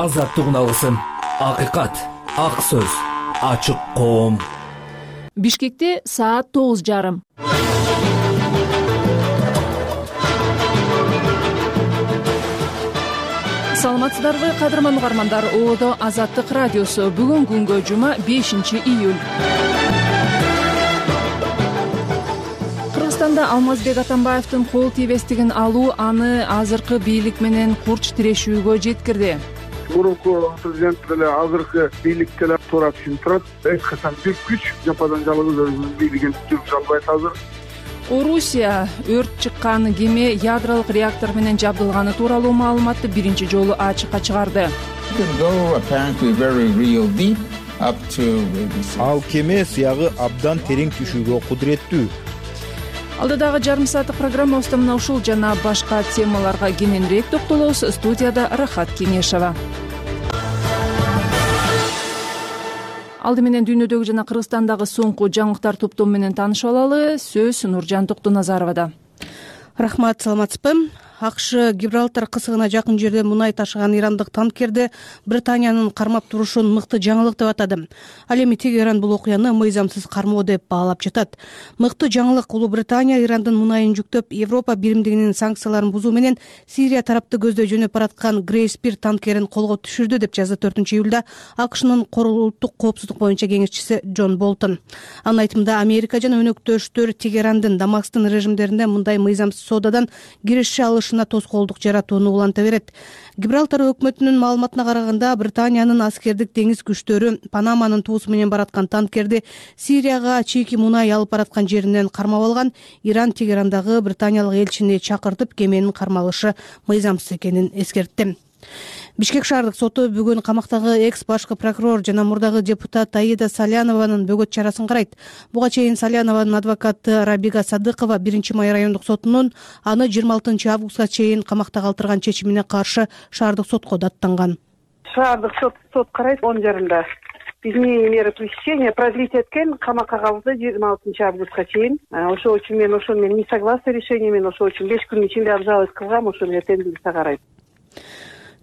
азаттыгын алсын. Акыйкат, ак сөз, ачык коом. Бишкекте саат 9:30. Саламатсыздарбы, кадырман угармандар. Оодо Азаттык радиосу. Бүгүн күнгө жума 5-июль. Кыргызстанда Алмазбек Атамбаевдин кол тийбестигин алуу аны азыркы бийлик менен курч тирешүүгө жеткирди. Мурунку президент деле азыркы бийлик деле туура түшүнүп турат. Эч качан бир күч жападан жалгыз өзүнүн бийлигин жүргүзө албайт азыр. Орусия өрт чыккан кеме ядролук реактор менен жабдылганы тууралуу маалыматты биринчи жолу ачыкка чыгарды. Ал кеме сыягы абдан терең түшүүгө кудуреттүү. Алдыдагы жарым сааттык программабызда мына ушул жана башка темаларга кененирээк токтолобуз. Студияда Рахат Кеңешова. Алды менен дүйнөдөгү жана Кыргызстандагы соңку жаңылыктар топтому менен таанышып алалы. Сөз Нуржан Токтоназаровада. Рахмат, саламатсызбы? АКШ Гибралтар кысыгына жакын жерде мунай ташыган ирандык танкерди Британиянын кармап турушун мыкты жаңылык деп атады. Ал эми Тегеран бул окуяны мыйзамсыз кармоо деп баалап жатат. Мыкты жаңылык: Улуу Британия Ирандын мунайын жүктөп Европа биримдигинин санкцияларын бузуу менен Сирия тарапты көздөй жөнөп бараткан Грейспир танкерин колго түшүрдү деп жазды 4-июлда АКШнын улуттук коопсуздук боюнча кеңешчиси Джон Болтон. Анын айтымында Америка жана өнөктөштөр Тегерандын Дамасктын режимдеринде мындай мыйзамсыз соодадан киреше алышына тоскоолдук жаратууну уланта берет. Гибралтар өкмөтүнүн маалыматына караганда, Британиянын аскердик деңиз күчтөрү Панаманын туусу менен бараткан танкерди Сирияга чийки мунай алып бараткан жеринен кармап алган. Иран Тегерандагы британиялык элчини чакыртып, кеменин кармалышы мыйзамсыз экенин эскертти. Бишкек шаардык соту бүгүн камактагы экс башкы прокурор жана мурдагы депутат Аида Салянованын бөгөт чарасын карайт. Буга чейин Салянованын адвокаты Рабига Садыкова 1-май райондук сотунун аны 26 августка чейин камакта калтырган чечимине каршы шаардык сотко даттанган. Шаардык сот карайт 10 жарымда. Изменение меры пресечения продлить эткен камакка калды 26 августка чейин. Ошол үчүн мен не согласна решением, мен ошол үчүн 5 күн ичинде обжаловать кылгам, ошо эртең карайт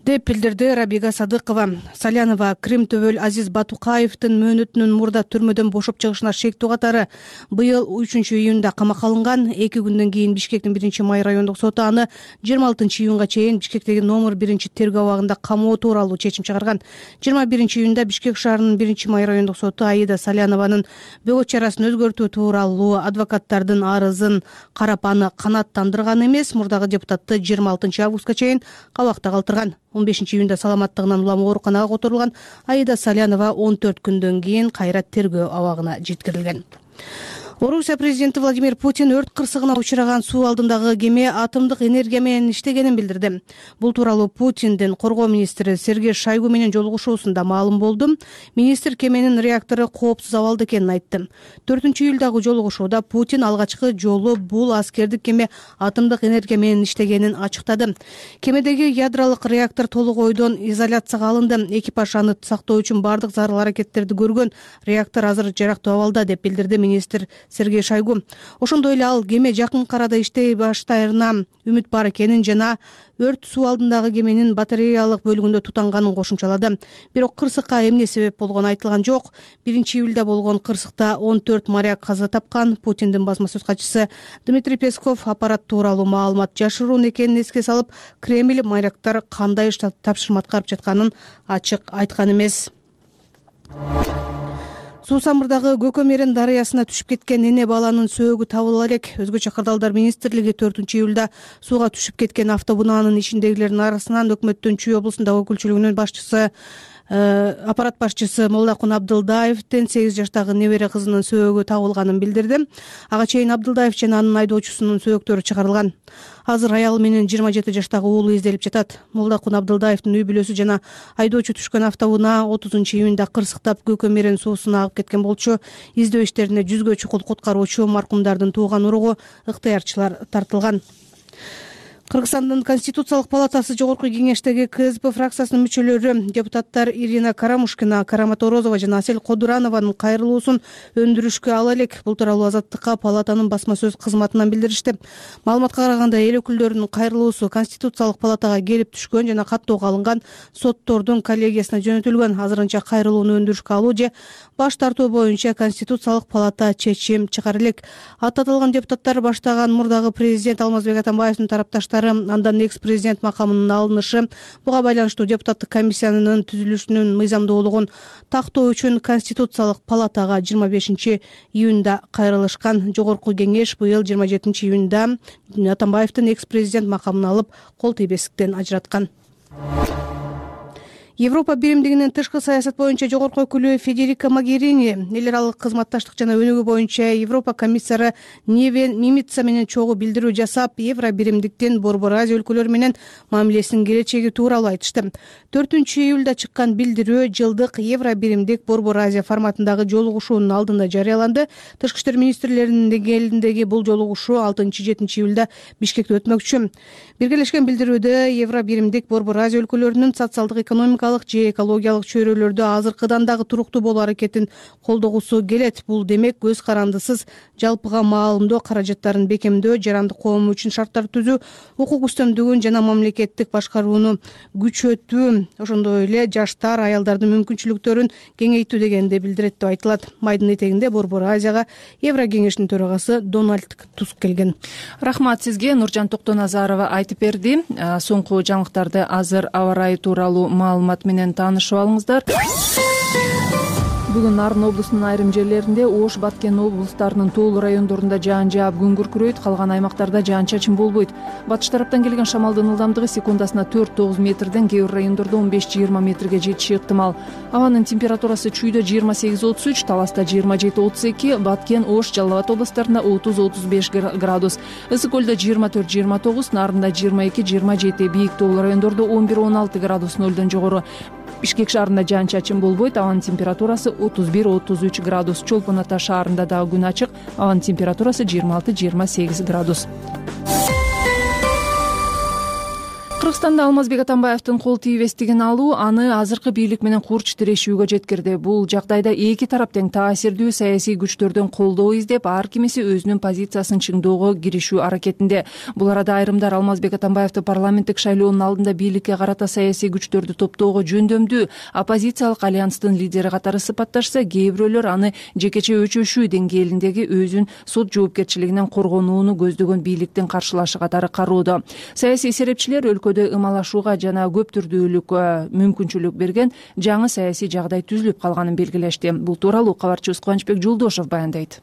деп билдирди Рабига Садыкова. Салянова Крим төбөл Азиз Батукаевдин мөөнөтүнүн мурда түрмөдөн бошоп чыгышына шектүү катары быйыл 3-июнда камакка алынган. 2 күндөн кийин Бишкектин 1-май райондук соту аны 26 июнга чейин Бишкектеги номер 1 тергөө абагында камоо тууралуу чечим чыгарган. 21-июнда Бишкек шаарынын 1-май райондук соту Аида Салянованын бөгөт чарасын өзгөртүү тууралуу адвокаттардын арызын карап аны канааттандырган эмес, мурдагы депутатты 26 августка чейин кабакта калтырган. 15-июнда саламаттыгынан улам ооруканага которулган. Аида Салянова 14 күндөн кийин кайра тергөө абагына жеткирилген. Орусия президенти Владимир Путин өрт кырсыгына учураган суу алдындагы кеме атомдук энергия менен иштегенин билдирди. Бул тууралуу Путиндин коргоо министри Сергей Шойгу менен жолугушуусунда маалым болду. Министр кеменин реактору коопсуз абалда экенин айтты. 4-июлдагы жолугушууда Путин алгачкы жолу бул аскердик кеме атомдук энергия менен иштегенин ачыктады. Кемедеги ядролук реактор толук ойдон изоляцияга алынды. Экипаж аны сактоо үчүн бардык зарыл аракеттерди көргөн. Реактор азыр жарактуу абалда деп билдирди министр Сергей Шойгу. Ошондой эле ал кеме жакын арада иштей баштаарына үмүт бар экенин жана өрт суу алдындагы кеменин батареялык бөлүгүндө тутанганын кошумчалады. Бирок кырсыкка эмне себеп болгону айтылган жок. 1-июлда болгон кырсыкта 14 моряк каза тапкан. Путиндин басма сөз катчысы Дмитрий Песков аппарат тууралуу маалымат жашыруун экенин эске салып, Кремль моряктар кандай тапшырма аткарып жатканын ачык айткан эмес. Суу самырдагы Көкөмерен дарыясына түшүп кеткен эне баланын сөөгү табыла элек. Өзгөчө кырдаалдар министрлиги 4-июлда сууга түшүп кеткен автоунаанын ичиндегилердин арасынан өкмөттүн Чүй облусундагы өкүлчүлүгүнүн башчысы аппарат башчысы Молдакун Абдылдаевдин 8 жаштагы небере кызынын сөөгү табылганын билдирди. Ага чейин Абдылдаев жана анын айдоочусунун сөөктөрү чыгарылган. Азыр аялы менен 27 жаштагы уулу изделип жатат. Молдакун Абдылдаевдин үй бүлөсү жана айдоочу түшкөн автоунаа 30-июнда кырсыктап Көкөмерен суусуна агып кеткен болчу. Издөө иштерине 100гө чукул куткаруучу маркумдардын тууган уругу ыктыярчылар тартылган. Кыргызстандын Конституциялык палатасы жогорку кеңештеги КСП фракциясынын мүчөлөрү депутаттар Ирина Карамушкина, Карамат Орозова жана Асель Кодуранованын кайрылуусун өндүрүшкө ала элек. Бул тууралуу Азаттыкка палатанын басма сөз кызматынан билдиришти. Маалыматка караганда эл өкүлдөрүнүн кайрылуусу Конституциялык палатага келип түшкөн жана каттоого алынган соттордун коллегиясына жөнөтүлгөн. Азырынча кайрылууну өндүрүшкө алуу же баш тартуу боюнча Конституциялык палата чечим чыгара элек. Аттатылган депутаттар баштаган мурдагы президент Алмазбек Атамбаевдин тарапташтары, андан экс-президент макамынын алынышы, буга байланыштуу депутаттык комиссиянын түзүлүшүнүн мыйзамдуулугун тактоо үчүн Конституциялык палатага 25-июнда кайрылышкан. Жогорку кеңеш быйыл 27-июнда Атамбаевдин экс-президент макамын алып, кол тийбестиктен ажыраткан. Европа биримдигинин тышкы саясат боюнча жогорку өкүлү Федерика Могерини эл аралык кызматташтык жана өнүгүү боюнча Европа комиссары Невен Мимица менен чогуу билдирүү жасап, Евро биримдиктин Борбор Азия өлкөлөрү менен мамилесинин келечеги тууралуу айтышты. 4-июлда чыккан билдирүү жылдык Евро биримдик Борбор Азия форматындагы жолугушуунун алдында жарыяланды. Тышкы иштер министрлеринин деңгээлиндеги бул жолугушуу 6-7-июлда Бишкекте өтмөкчү. Биргелешкен билдирүүдө Евро биримдик Борбор Азия өлкөлөрүнүн социалдык экономикалык же экологиялык чөйрөлөрдө азыркыдан дагы туруктуу болуу аракетин колдогусу келет. Бул демек көз карандысыз жалпыга маалымдоо каражаттарын бекемдөө, жарандык коом үчүн шарттар түзүү, укук үстөмдүгүн жана мамлекеттик башкарууну күчөтүү, ошондой эле жаштар, аялдардын мүмкүнчүлүктөрүн кеңейтүү дегенди билдирет деп айтылат. Майдын этегинде Борбор Азияга Евро кеңешинин төрагасы Дональд Туск келген. Рахмат сизге, Нуржан Токтоназарова айтып берди. Соңку жаңылыктарды азыр аба ырайы тууралуу маалымат менен таанышып алыңыздар. Бүгүн Нарын облусунун айрым жерлеринде, Ош, Баткен облустарынын тоолуу райондорунда жаан жаап, күн күркүрөйт, калган аймактарда жаан-чачын болбойт. Батыш тараптан келген шамалдын ылдамдыгы секундасына 4-9 метрден, кээ бир райондордо 15-20 метрге жетиши ыктымал. Абанын температурасы Чүйдө 28-33, Таласта 27-32, Баткен, Ош, Жалал Абад областарында 30-35 градус. Ысык көлдө 24-29, Нарында 22-27, бийик тоолуу райондордо 11-16 градус нөлдөн жогору. Бишкек шаарында жаан-чачын болбойт, абанын температурасы 31-33 градус. Чолпон Ата шаарында дагы күн ачык, абанын температурасы 26-28 градус. Кыргызстанда Алмазбек Атамбаевдин кол тийбестигин алуу аны азыркы бийлик менен курч тирешүүгө жеткирди. Бул жагдайда эки тарап тең таасирдүү саясий күчтөрдөн колдоо издеп, ар кимиси өзүнүн позициясын чыңдоого киришүү аракетинде. Бул арада айрымдар Алмазбек Атамбаевди парламенттик шайлоонун алдында бийликке карата саясий күчтөрдү топтоого жөндөмдүү оппозициялык альянстын лидери катары сыпатташса, кээ бирөөлөр аны жекече өчөшүү деңгээлиндеги өзүн сот жоопкерчилигинен коргонууну көздөгөн бийликтин каршылашы катары кароодо. Саясий серепчилер өлкөдө ымалашууга жана көп түрдүүлүк мүмкүнчүлүк берген жаңы саясий жагдай түзүлүп калганын белгилешти. Бул тууралуу кабарчыбыз Кубанычбек Жолдошов баяндайт.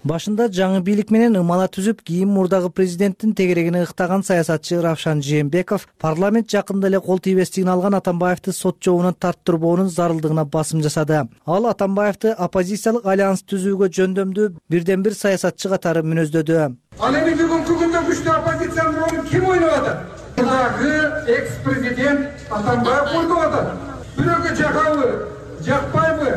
Башында жаңы бийлик менен ымала түзүп, кийин мурдагы президенттин тегерегине ыктаган саясатчы Равшан Жээнбеков парламент жакында эле кол тийбестигин алган Атамбаевди сот жообуна тарттырбоонун зарылдыгына басым жасады. Ал Атамбаевди оппозициялык альянс түзүүгө жөндөмдүү бирден бир саясатчы катары мүнөздөдү. Ал эми бүгүнкү күндө күчтүү оппозициянын ролун ким ойноп атат? Мурдагы экс-президент Атамбаев ойноп атат. Бирөөгө жагабы, жакпайбы?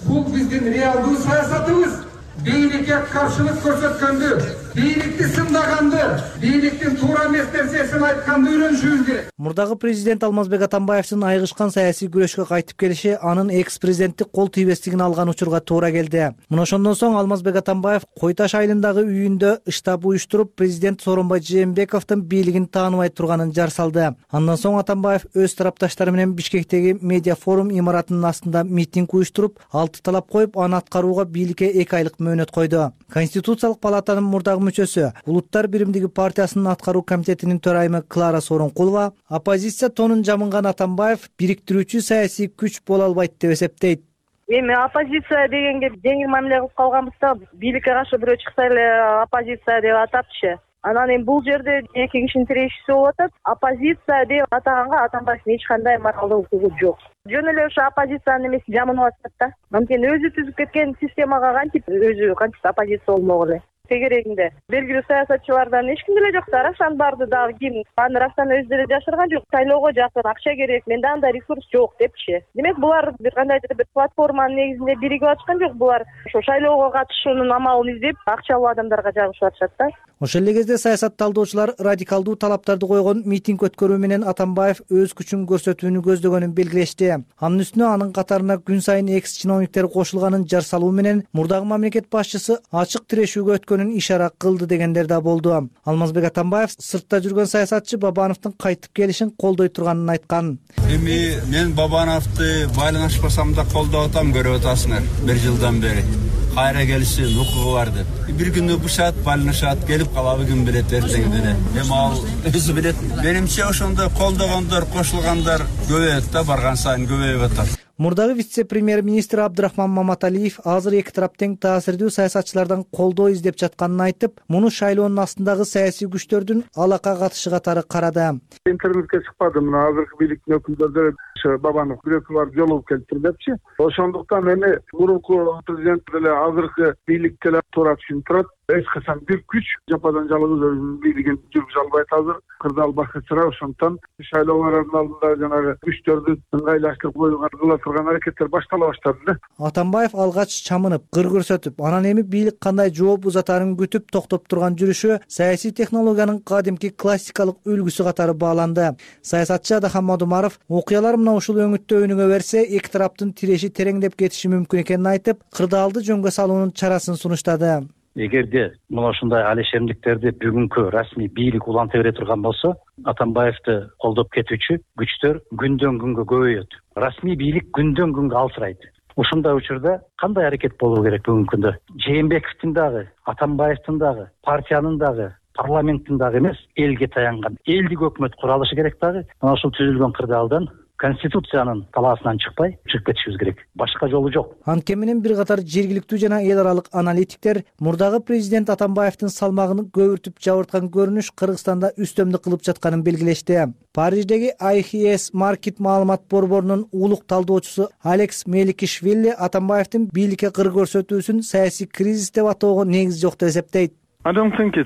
Бул биздин реалдуу саясатыбыз. Бийликке каршылык көрсөткөндү, бийликти сындаганды, бийликтин туура эмес нерсесин айтканды үйрөнүшүбүз керек. Мурдагы президент Алмазбек Атамбаевдин айгышкан саясий күрөшкө кайтып келиши анын экс-президенттик кол тийбестигин алган учурга туура келди. Мына ошондон соң Алмазбек Атамбаев Кой Таш айылындагы үйүндө штаб уюштуруп, президент Сооронбай Жээнбековдун бийлигин тааныбай турганын жар салды. Андан соң Атамбаев өз тарапташтары менен Бишкектеги медиа форум имаратынын астында митинг уюштуруп, 6 талап коюп, аны аткарууга бийликке 2 айлык мөөнөт койду. Конституциялык палатанын мурдагы мүчөсү, Улуттар биримдиги партиясынын аткаруу комитетинин төрайымы Клара Сооронкулова оппозиция тонун жамынган Атамбаев бириктирүүчү саясий күч боло албайт деп эсептейт. Эми оппозиция дегенге жеңил мамиле кылып калганбыз да, бийликке каршы бирөө чыкса эле оппозиция деп атапчы. Анан эми бул жерде эки кишинин тирешүүсү болуп атат. Оппозиция деп атаганга Атамбаевдин эч кандай моралдык укугу жок. Жөн эле ошо оппозициянын эмеси жамынып атат да. Анткени өзү түзүп кеткен системага кантип өзү оппозиция болмок эле. тегерегинде. Белгилүү саясатчылардан эч ким деле жок да. Рашан барды дагы ким? Аны Рашан өзү деле жашырган жок. Шайлоого жакын акча керек, менде андай ресурс жок депчи. Демек булар бир кандайдыр бир платформанын негизинде биригип атышкан жок. Булар ошо шайлоого катышуунун амалын издеп, акча алуу адамдарга жагышып атышат да. Ошол эле кезде саясат талдоочулар радикалдуу талаптарды койгон митинг өткөрүү менен Атамбаев өз күчүн көрсөтүүнү көздөгөнүн белгилешти. Анын үстүнө анын катарына күн сайын экс-чиновниктер кошулганын жар салуу менен мурдагы мамлекет башчысы ачык тирешүүгө өткөнүн ишара кылды дегендер да болду. Алмазбек Атамбаев сыртта жүргөн саясатчы Бабановдун кайтып келишин колдой турганын айткан. Эми мен Бабановду байланышпасам да колдоп атам, көрүп атасыңар бир жылдан бери. Кайра келишин укугу бар деп. Бир күнү бушат, байланышат, келип калабы ким билет эртең деле. Эми ал өзү билет. Менимче ошондо колдогондор, кошулгандар көбөйөт да, барган сайын көбөйүп атат. Мурдагы вице-премьер-министр Абдрахман Маматалиев азыр эки тарап тең таасирдүү саясатчылардан колдоо издеп жатканын айтып, муну шайлоонун астындагы саясий күчтөрдүн алака катышы катары карады. Интернетке чыкпады, мына азыркы бийликтин өкүлдөрү Бабанов бирөкү барып жолугуп келиптир депчи. Ошондуктан эми мурунку президент деле азыркы бийлик деле туура түшүнүп турат. Эч качан бир күч жападан жалгыз өзүнүн бийлигин жүргүзө албайт азыр. Кырдаал бакытчыра, ошондуктан шайлоолордун алдында жанагы күчтөрдү ыңгайлаштырып коюуга кыла турган аракеттер баштала баштады да. Атамбаев алгач чамынып, кыр көрсөтүп, анан эми бийлик кандай жооп узатарын күтүп токтоп турган жүрүшү саясий технологиянын кадимки классикалык үлгүсү катары бааланды. Саясатчы Адахан Мадумаров окуялар мына ушул өңүттө өнүгө берсе, эки тараптын тиреши тереңдеп кетиши мүмкүн экенин айтып, кырдаалды жөнгө салуунун чарасын сунуштады. Эгерде мына ушундай алишемдиктерди бүгүнкү расмий бийлик уланта бере турган болсо, Атамбаевди колдоп кетүүчү күчтөр күндөн күнгө көбөйөт. Расмий бийлик күндөн күнгө алсырайт. Ушундай учурда кандай аракет болуу керек бүгүнкү күндө? Жээнбековдун дагы, Атамбаевдин дагы, партиянын дагы, парламенттин дагы эмес, элге таянган элдик өкмөт куралышы керек дагы. Мына ушул түзүлгөн кырдаалдан Конституциянын талаасынан чыкпай, чыгып кетишибиз керек. Башка жолу жок. Анткени менен бир катар жергиликтүү жана эл аралык аналитиктер мурдагы президент Атамбаевдин салмагын көбүртүп жабырткан көрүнүш Кыргызстанда үстөмдүк кылып жатканын белгилешти. Париждеги IHS Market маалымат борборунун улук талдоочусу Алекс Меликишвили Атамбаевдин бийликке кыр көрсөтүүсүн саясий кризис деп атоого негиз жок деп эсептейт. Менимче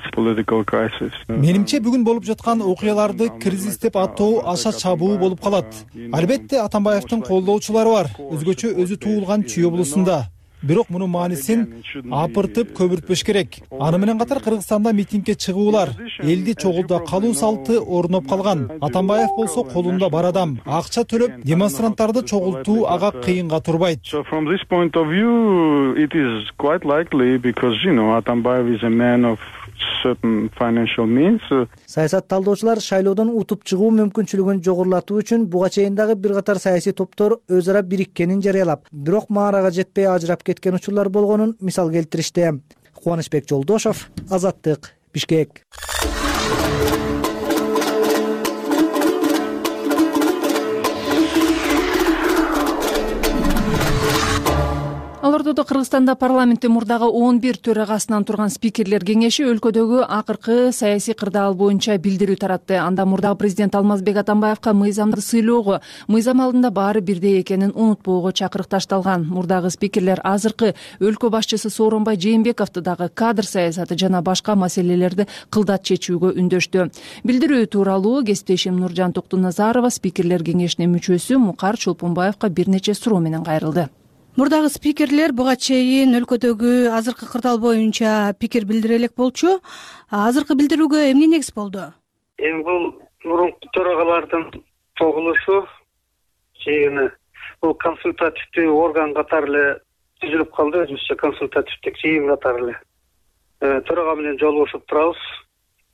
бүгүн болуп жаткан окуяларды кризис деп атоо аша чабуу болуп калат. Албетте Атамбаевдин колдоочулары бар, өзгөчө өзү туулган Чүй облусунда. Бирок мунун маанисин апыртып көбүртпөш керек. Аны менен катар Кыргызстанда митингге чыгуулар, элди чогулта калуу салты орноп калган. Атамбаев болсо колунда бар адам, акча төлөп демонстранттарды чогултуу ага кыйынга турбайт. Саясат талдоочулар шайлоодон утуп чыгуу мүмкүнчүлүгүн жогорулатуу үчүн буга чейин дагы бир катар саясий топтор өз ара бириккенин жарыялап, бирок маарага жетпей ажырап кеткен учурлар болгонун мисал келтиришти. Кубанычбек Жолдошов, Азаттык, Бишкек. Ал ортодо Кыргызстанда парламенттин мурдагы 11 төрагасынан турган спикерлер кеңеши өлкөдөгү акыркы саясий кырдаал боюнча билдирүү таратты. Анда мурдагы президент Алмазбек Атамбаевка мыйзамды сыйлоого, мыйзам алдында баары бирдей экенин унутпоого чакырык ташталган. Мурдагы спикерлер азыркы өлкө башчысы Сооронбай Жээнбековду дагы кадр саясаты жана башка маселелерди кылдат чечүүгө үндөштү. Билдирүү тууралуу кесиптешим Нуржан Токтуназарова спикерлер кеңешинин мүчөсү Мукар Чолпонбаевка бир нече суроо менен кайрылды. Мурдагы спикерлер буга чейин өлкөдөгү азыркы кырдаал боюнча пикир билдире элек болчу. Азыркы билдирүүгө эмне негиз болду? Эми бул мурунку төрагалардын тогулушу чейин бул консультативдүү орган катары эле түзүлүп калды, өзүбүзчө консультативдик жыйын катары эле. Төрага менен жолугушуп турабыз.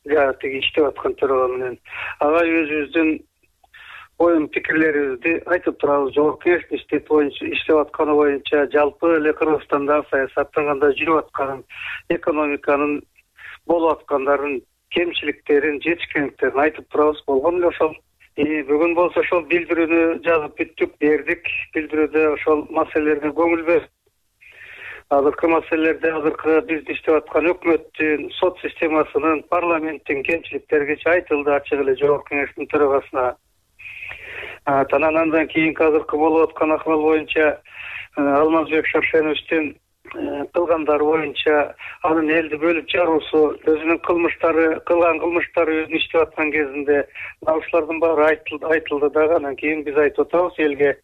Тиги иштеп аткан төрага менен. Ага өзүбүздүн оюн пикирлерибизди айтып турабыз. Жогорку кеңештин иштеп атканы боюнча жалпы эле Кыргызстанда саясаттын кандай жүрүп атканын, экономиканын болуп аткандарын, кемчиликтерин, жетишкендиктерин айтып турабыз. Болгон эле ошол. Бүгүн болсо ошол билдирүүнү жазып бүттүк, бердик. Билдирүүдө ошол маселелерге көңүл берип, азыркы маселелерде азыркы бизди иштеп аткан өкмөттүн, сот системасынын, парламенттин кемчиликтери айтылды ачык эле жогорку кеңештин төрагасына. Андан кийинки азыркы болуп аткан акыбал боюнча Алмазбек Шаршеновичтин кылгандары боюнча анын элди бөлүп жаруусу, өзүнүн кылган кылмыштары өзүн иштеп аткан кезинде ушулардын баары айтылды дагы. Анан кийин биз айтып атабыз элге,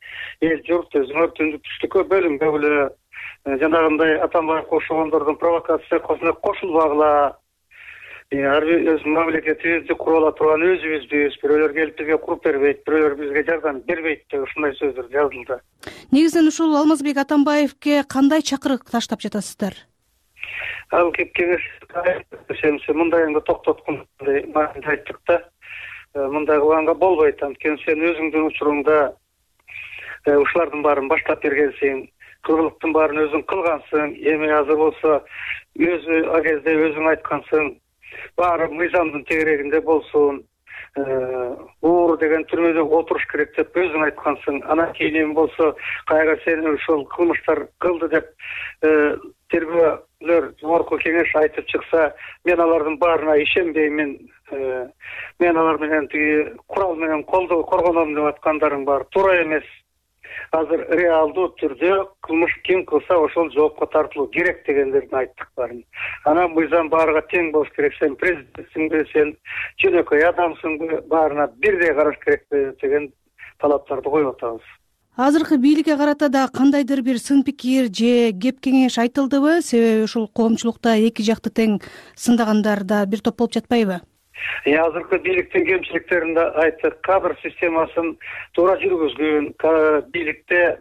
эл журт өзүңөр түндүк-түштүккө бөлүнбөгүлө, жанагындай Атамбаев кошогондордун провокациясына кошулбагыла. Ар бир өз мамлекетибизди куруп ала турган өзүбүзбүз, бирөөлөр келип бизге куруп бербейт, бирөөлөр бизге жардам бербейт деп ушундай сөздөр жазылды. Негизинен ушул Алмазбек Атамбаевке кандай чакырык таштап жатасыздар? Ал кеңеш мындайыңды токтоткундай айттык да. Мындай кылганга болбойт. Анткени сен өзүңдүн учуруңда ушулардын баарын баштап бергенсиң, кыргылыктын баарын өзүң кылгансың, эми азыр болсо өзү ал кезде өзүң айткансың, баары мыйзамдын тегерегинде болсун, уур деген түрмөдө отуруш керек деп өзүң айткансың. Анан кийин эми болсо кайра сени ушул кылмыштар кылды деп тергөөлөр, жогорку кеңеш айтып чыкса, мен алардын баарына ишенбеймин. Мен алар менен тиги курал менен коргоном деп аткандарың баары туура эмес. Азыр реалдуу түрдө кылмыш ким кылса ошол жоопко тартылуу керек дегендерин айттык баарын. Анан мыйзам баарга тең болуш керек. Сен президентсиңби, сен жөнөкөй адамсыңбы, баарына бирдей караш керек деген талаптарды коюп атабыз. Азыркы бийликке карата да кандайдыр бир сын пикир же кеп кеңеш айтылдыбы? Себеби ушул коомчулукта эки жакты тең сындагандар да бир топ болуп жатпайбы? Азыркы бийликтин кемчиликтерин да айттык. Кадр системасын туура жүргүзгөн, бийликте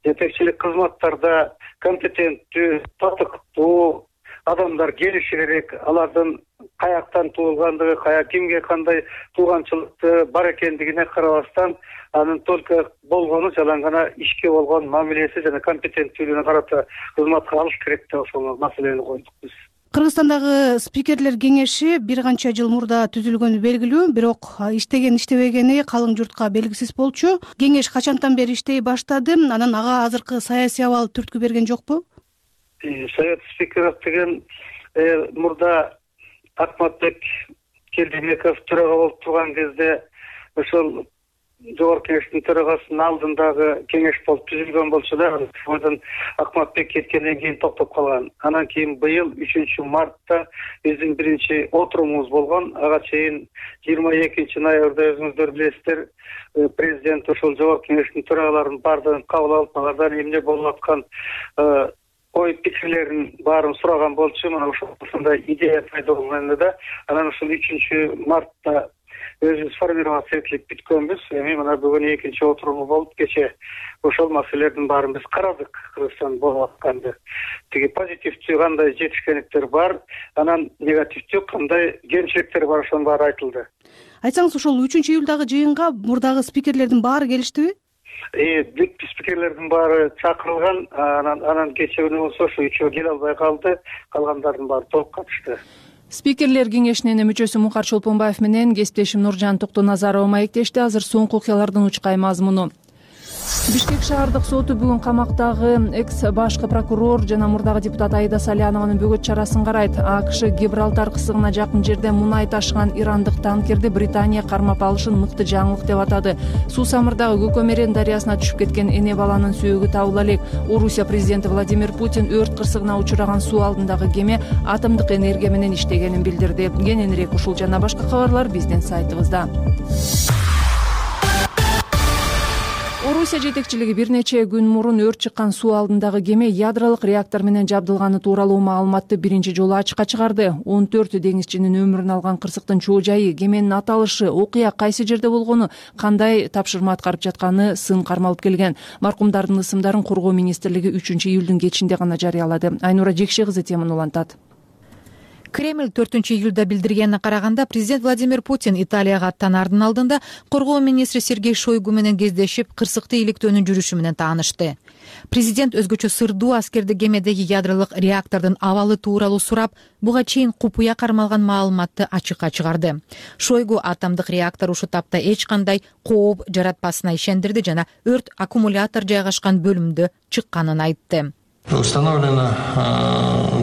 жетекчилик кызматтарда компетенттүү, татыктуу адамдар келиши керек. Алардын каяктан туулгандыгы, кимге кандай тууганчылыкты бар экендигине карабастан, анын только болгону жалаң гана ишке болгон мамилеси жана компетенттүүлүгүнө карата кызматка алыш керек деп ошол маселени койдук биз. Кыргызстандагы спикерлер кеңеши бир канча жыл мурда түзүлгөнү белгилүү, бирок иштеген-иштебегени калың журтка белгисиз болчу. Кеңеш качантан бери иштей баштады? Анан ага азыркы саясий абал түрткү берген жокпу? Совет спикеров деген мурда Акматбек Келдибеков төрага болуп турган кезде ошол жогорку кеңештин төрагасынын алдындагы кеңеш болуп түзүлгөн болчу да, ошодон Акматбек кеткенден кийин токтоп калган. Анан кийин быйыл 3 мартта биздин биринчи отурумубуз болгон. Ага чейин 22 ноябрда өзүңүздөр билесиздер, президент ошол жогорку кеңештин төрагаларын баардыгын кабыл алып, алардан эмне болуп аткан ой пикирлерин баарын сураган болчу. Мына ошондой идея пайда болгон да. Анан ошол 3 мартта өзүбүз формироваться этилип бүткөнбүз. Эми мына бүгүн экинчи отуруму болуп, кече ошол маселелердин баарын биз карадык. Кыргызстан болуп атканды, тиги позитивдүү кандай жетишкендиктер бар, анан негативдүү кандай кемчиликтер бар, ошонун баары айтылды. Айтсаңыз, ошол 3-июлдагы жыйынга мурдагы спикерлердин баары келиштиби? Бүт спикерлердин баары чакырылган. Анан кече күнү болсо ошо үчөө келе албай калды, калгандардын баары толук катышты. Спикерлер кеңешинин мүчөсү Мукар Чолпонбаев менен кесиптешим Нуржан Токтоназарова маектешти. Азыр соңку окуялардын учкай мазмуну. Бишкек шаардык соту бүгүн камактагы экс башкы прокурор жана мурдагы депутат Аида Салянованын бөгөт чарасын карайт. АКШ Гибралтар кысыгына жакын жерде мунай ташыган ирандык танкерди Британия кармап алышын мыкты жаңылык деп атады. Суу самырдагы Көкөмерен дарыясына түшүп кеткен эне баланын сөөгү табыла элек. Орусия президенти Владимир Путин өрт кырсыгына учураган суу алдындагы кеме атомдук энергия менен иштегенин билдирди. Кененирээк ушул жана башка кабарлар биздин сайтыбызда. Орусия жетекчилиги бир нече күн мурун өрт чыккан суу алдындагы кеме ядролук реактор менен жабдылганы тууралуу маалыматты биринчи жолу ачыкка чыгарды. 14 деңизчинин өмүрүн алган кырсыктын чоо жайы, кеменин аталышы, окуя кайсы жерде болгону, кандай тапшырма аткарып жатканы сын кармалып келген. Маркумдардын ысымдарын Коргоо министрлиги 3-июлдун кечинде гана жарыялады. Айнура Жекше кызы теманы улантат. Кремль 4-июлда билдиргенине караганда, президент Владимир Путин Италияга аттанаардын алдында Коргоо министри Сергей Шойгу менен кездешип, кырсыкты иликтөөнүн жүрүшү менен таанышты. Президент өзгөчө сырдуу аскерди кемедеги ядролук реактордун абалы тууралуу сурап, буга чейин купуя кармалган маалыматты ачыкка чыгарды. Шойгу атомдук реактор ушул тапта эч кандай кооп жаратпасына ишендирди жана өрт аккумулятор жайгашкан бөлүмдө чыкканын айтты. Установлена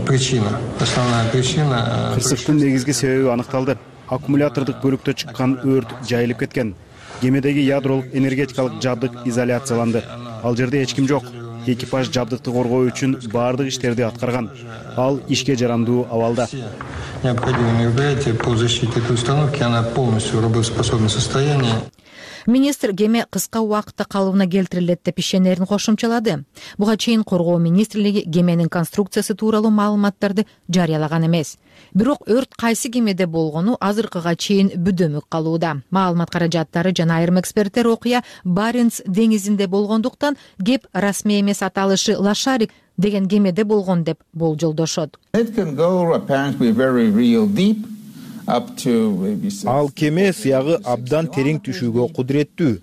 причина. Основная причина. Кырсыктын негизги себеби аныкталды. Аккумулятордук бөлүктө чыккан өрт жайылып кеткен. Кемедеги ядролук энергетикалык жабдык изоляцияланды. Ал жерде эч ким жок. экипаж жабдыкты коргоо үчүн баардык иштерди аткарган. Ал ишке жарамдуу абалда. Необходимые мероприятия по защите этой установки, она полностью в работоспособном состоянии. Министр кеме кыска убакытта калыбына келтирилет деп ишенерин кошумчалады. Буга чейин Коргоо министрлиги кеменин конструкциясы тууралуу маалыматтарды жарыялаган эмес. Бирок өрт кайсы кемеде болгону азыркыга чейин бүдөмүк калууда. Маалымат каражаттары жана айрым эксперттер окуя Баренц деңизинде болгондуктан кеп расмий эмес аталышы Лошарик деген кемеде болгон деп болжолдошот. Ал кеме сыягы абдан терең түшүүгө кудуреттүү.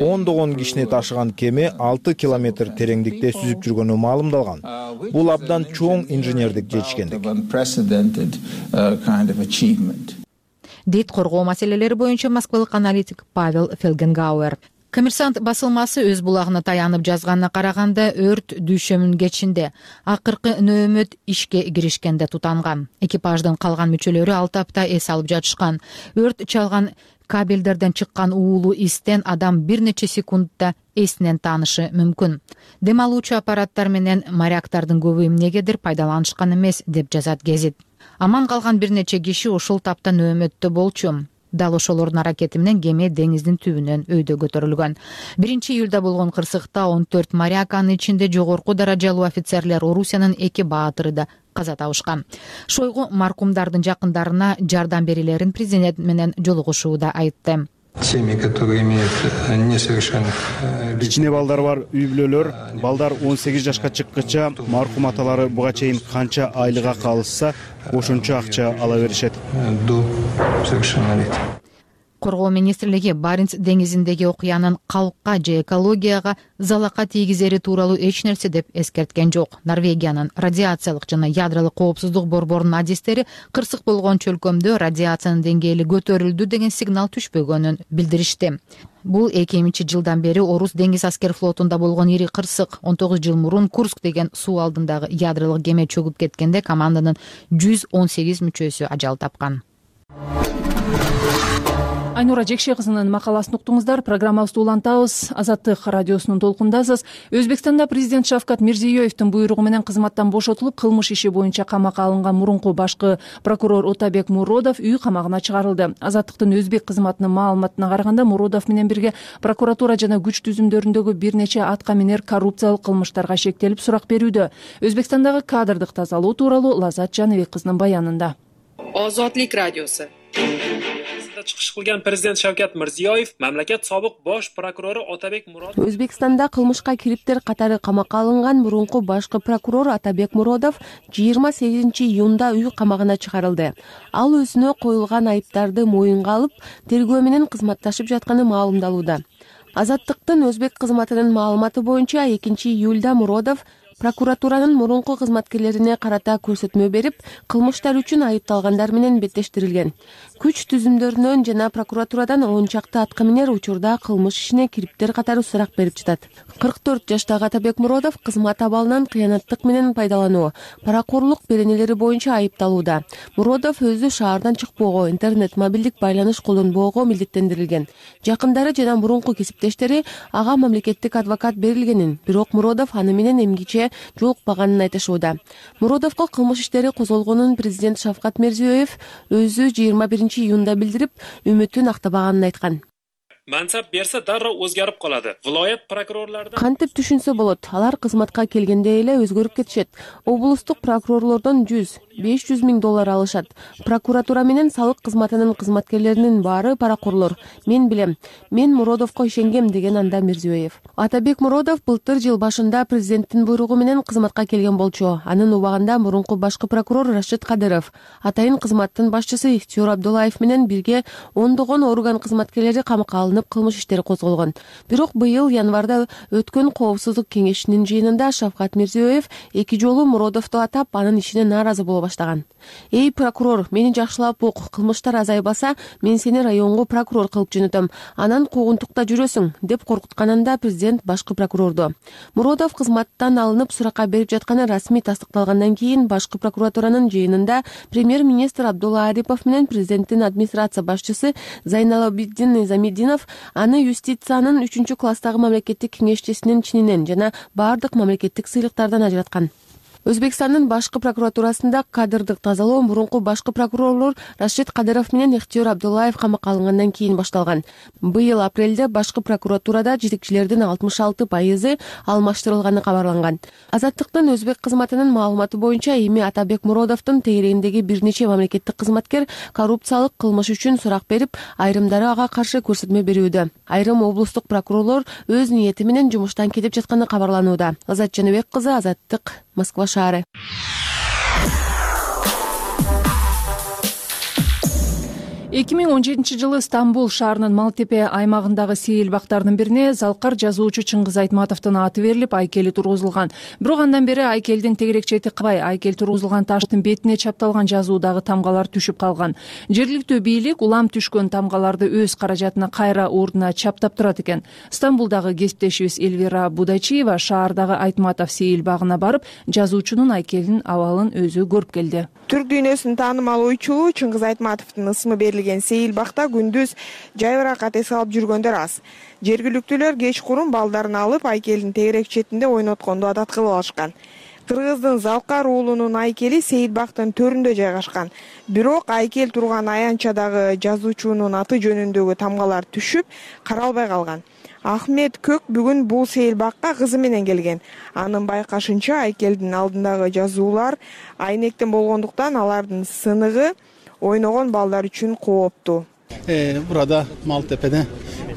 10 кишини ташыган кеме 6 километр тереңдикте сүзүп жүргөнү маалымдалган. Бул абдан чоң инженердик жетишкендик. Дейт коргоо маселелери боюнча москвалык аналитик Павел Фельгенгауэр. Коммерсант басылмасы өз булагына таянып жазганына караганда өрт дүйшөмүн кечинде акыркы нөөмөт ишке киришкенде тутанган. Экипаждын калган мүчөлөрү 6 апта эс алып жатышкан. Өрт чалган кабелдерден чыккан уулуу истен адам бир нече секундда эсинен таанышы мүмкүн. Дем алуучу аппараттар менен моряктардын көбү эмнегедир пайдаланышкан эмес деп жазат гезит. Аман калган бир нече киши ушул тапта нөөмөттө болчу. Дал ошолордун аракети менен кеме деңиздин түбүнөн өйдө көтөрүлгөн. 1-июлда болгон кырсыкта 14 моряк, анын ичинде жогорку даражалуу офицерлер, Орусиянын 2 баатыры да каза табышкан. Шойгу маркумдардын жакындарына жардам берилерин президент менен жолугушууда айтты. Семьи, которые имеют несовершенных... Кичине балдар бар үй бүлөлөр, балдар 18 жашка чыккыча маркум аталары буга чейин канча айлыга калышса, ошончо акча ала беришет. До совершеннолетия. Коргоо министрлиги Баренц деңизиндеги окуянын калкка же экологияга залака тийгизери тууралуу эч нерсе деп эскерткен жок. Норвегиянын радиациялык жана ядролук коопсуздук борборунун адистери кырсык болгон чөлкөмдө радиациянын деңгээли көтөрүлдү деген сигнал түшпөгөнүн билдиришти. Бул 2000-жылдан бери Орус деңиз аскер флотунда болгон ири кырсык. 19 жыл мурун Курск деген суу алдындагы ядролук кеме чөгүп кеткенде команданын 118 мүчөсү ажал тапкан. Айнура Жекше кызынын макаласын уктуңуздар. Программабызды улантабыз. Азаттык радиосунун толкундасыз. Өзбекстанда президент Шавкат Мирзиёевдин буйругу менен кызматтан бошотулуп, кылмыш иши боюнча камакка алынган мурунку башкы прокурор Отабек Муродов үй камагына чыгарылды. Азаттыктын өзбек кызматынын маалыматына караганда, Муродов менен бирге прокуратура жана күч түзүмдөрүндөгү бир нече атка минер коррупциялык кылмыштарга шектелип сурак берүүдө. Өзбекстандагы кадрдык тазалоо тууралуу Лазат Жаныбек кызынын баянында. Озодлик радиосу. Чыгыш кылган президент Шавкат Мирзиёев мамлекет собук бош прокурору Отабек Муродов Өзбекстанда кылмышка кириптер катары камакка алынган мурунку башкы прокурор Отабек Муродов 28-июнда үй камагына чыгарылды. Ал өзүнө коюлган айыптарды моюнга алып, тергөө менен кызматташып жатканы маалымдалууда. Азаттыктын өзбек кызматынын маалыматы боюнча 2-июлда Муродов прокуратуранын мурунку кызматкерлерине карата көрсөтмө берип, кылмыштар үчүн айыпталгандар менен беттештирилген. Күч түзүмдөрүнөн жана прокуратурадан 10 чакты атка минер учурда кылмыш ишине кириптер катары сурак берип жатат. 44 жаштагы Отабек Муродов кызмат абалынан кыянаттык менен пайдалануу, паракорлук беренелери боюнча айыпталууда. Муродов өзү шаардан чыкпоого, интернет, мобилдик байланыш колдонбоого милдеттендирилген. Жакындары жана мурунку кесиптештери ага мамлекеттик адвокат берилгенин, бирок Муродов аны менен эмгиче жолукпаганын айтышууда. Муродовго кылмыш иштери козголгонун президент Шавкат Мирзиёев өзү 21-июнда билдирип, үмүтүн актабаганын айткан. Мансап берсе дароо өзгөрүп калады. Viloyat прокурорлордун кантип түшүнсө болот, алар кызматка келгенде эле өзгөрүп кетишет. Облустук прокурорлордон 100-500 миң доллар алышат. Прокуратура менен салык кызматынын кызматкерлеринин баары паракорлор. Мен билем. Мен Муродовго ишенгем, деген анда Мирзиёев. Отабек Муродов былтыр жыл башында президенттин буйругу менен кызматка келген болчу. Анын убагында мурунку башкы прокурор Рашид Кадыров, атайын кызматтын башчысы Ихтиёр Абдуллаев менен бирге ондогон орган кызматкерлери камакка алынып, кылмыш иштери козголгон. Бирок быйыл январда өткөн коопсуздук кеңешинин жыйынында Шавкат Мирзиёев 2 жолу Муродовду атап, анын ишине нааразы болуп баштаган. Эй прокурор, мени жакшылап ук, кылмыштар азайбаса мен сени районго прокурор кылып жөнөтөм, анан куугунтукта жүрөсүң деп коркутканында президент башкы прокурорду. Муродов кызматтан алынып суракка берип жатканы расмий тастыкталгандан кийин башкы прокуратуранын жыйынында премьер-министр Абдулла Арипов менен президенттин администрация башчысы Зайналабиддин Низамиддинов аны юстициянын 3-класстагы мамлекеттик кеңешчисинин чининен жана баардык мамлекеттик сыйлыктардан ажыраткан. Өзбекстандын башкы прокуратурасында кадрдык тазалоо мурунку башкы прокурорлор Рашид Кадыров менен Ихтиёр Абдуллаев камакка алынгандан кийин башталган. Быйыл апрелде башкы прокуратурада жетекчилердин 66% алмаштырылганы кабарланган. Азаттыктын өзбек кызматынын маалыматы боюнча эми Атабек Муродовдун тегерегиндеги бир нече мамлекеттик кызматкер коррупциялык кылмыш үчүн сурак берип, айрымдары ага каршы көрсөтмө берүүдө. Айрым облустук прокурорлор өз ниети менен жумуштан кетип жатканы кабарланууда. Азат Жаныбек кызы, Азаттык, Москва шаары. 2017 жылы Стамбул шаарынын Малтепе аймагындагы сейил бактардын бирине залкар жазуучу Чыңгыз Айтматовдун аты берилип, айкели тургузулган. Бирок андан бери айкелдин тегерек чети кабай, айкел тургузулган таштын бетине чапталган жазуудагы тамгалар түшүп калган. Жергиликтүү бийлик улам түшкөн тамгаларды өз каражатына кайра ордуна чаптап турат экен. Стамбулдагы кесиптешибиз Эльвира Будачиева шаардагы Айтматов сейил багына барып, жазуучунун айкелинин абалын өзү көрүп келди. Түрк дүйнөсүнүн таанымал ойчулу Чыңгыз Айтматовдун ысымы берилген сейил бакта күндүз жайбыракат эс алып жүргөндөр аз. Жергиликтүүлөр кечкурун балдарын алып айкелдин тегерек четинде ойнотконду адат кылып алышкан. Кыргыздын Залкар уулунун айкели сейил бактын төрүндө жайгашкан. Бирок айкел турган аянтчадагы жазуучунун аты жөнүндөгү тамгалар түшүп, каралбай калган. Ахмет Көк бүгүн бул сейил бакка кызы менен келген. Анын байкашынча айкелдин алдындагы жазуулар айнектен болгондуктан алардын сыныгы ойногон балдар үчүн кооптуу. Burada Maltepe'de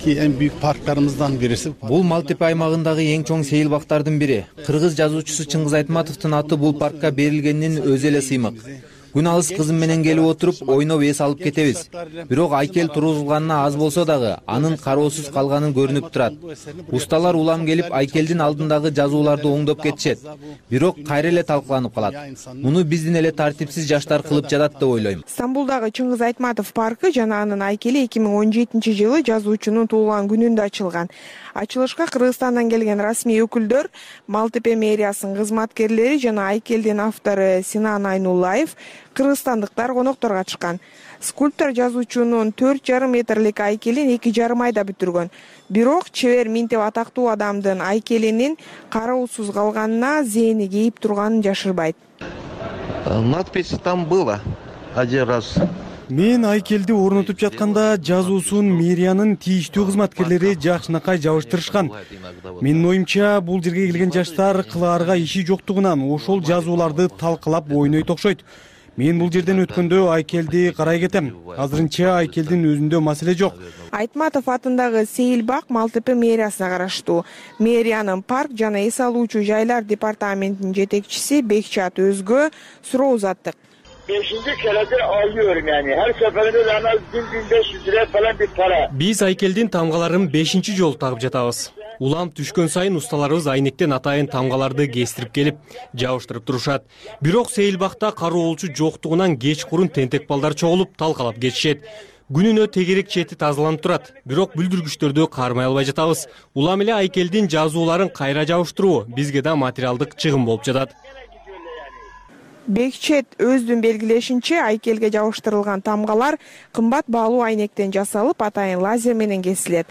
ki en büyük parklarımızdan birisi. Бул Малтепе аймагындагы эң чоң сейил бактардын бири. Кыргыз жазуучусу Чыңгыз Айтматовдун аты бул паркка берилгенин өзү эле сыймык. Күн алыс кызым менен келип отуруп, ойноп эс алып кетебиз. Бирок айкел тургузулганына аз болсо дагы анын кароосуз калганын көрүнүп турат. Усталар улам келип айкелдин алдындагы жазууларды оңдоп кетишет. Бирок кайра эле талкаланып калат. Муну биздин эле тартипсиз жаштар кылып жатат деп ойлойм. Стамбулдагы Чыңгыз Айтматов паркы жана анын айкели 2017-жылы жазуучунун туулган күнүндө ачылган. Ачылышка Кыргызстандан келген расмий өкүлдөр, Малтепе мэриясынын кызматкерлери жана айкелдин автору Синан Айнуллаев кыргызстандыктар конокторго катышкан. Скульптор жазуучунун 4,5 метрлик айкелин 2,5 айда бүтүргөн. Бирок чебер Минтеп атактуу адамдын айкелинин кароосуз калганына зээни кейип турганын жашырбайт. Надпись там была один раз. Мен айкелди орнотуп жатканда жазуусун мэриянын тийиштүү кызматкерлери жакшынакай жабыштырышкан. Менин оюмча, бул жерге келген жаштар кылаарга иши жоктугунан ошол жазууларды талкалап ойнойт окшойт. Мен бул жерден өткөндө айкелди карай кетем. Азырынча айкелдин өзүндө маселе жок. Айтматов атындагы сейил бак Малтепе мэриясына караштуу. Мэриянын парк жана эс алуучу жайлар департаментинин жетекчиси Бекчат Өзгө суроо узаттык. 5. keredir alıyorum yani. Her seferinde en az 1.500 lira falan bir para. Биз айкелдин тамгаларын 5-чи жолу тагып жатабыз. Улам түшкөн сайын усталарыбыз айнектен атайын тамгаларды кестирип келип, жабыштырып турушат. Бирок сейил бакта кароолчу жоктугунан кечкурун тентек балдар чогулуп, талкалап кетишет. Күнүнө тегерек чети тазаланып турат. Бирок бүлдүргүчтөрдү кармай албай жатабыз. Улам эле айкелдин жазууларын кайра жабыштыруу бизге да материалдык чыгым болуп жатат. Бекчет өздүн белгилешинче айкелге жабыштырылган тамгалар кымбат баалуу айнектен жасалып, атайын лазер менен кесилет.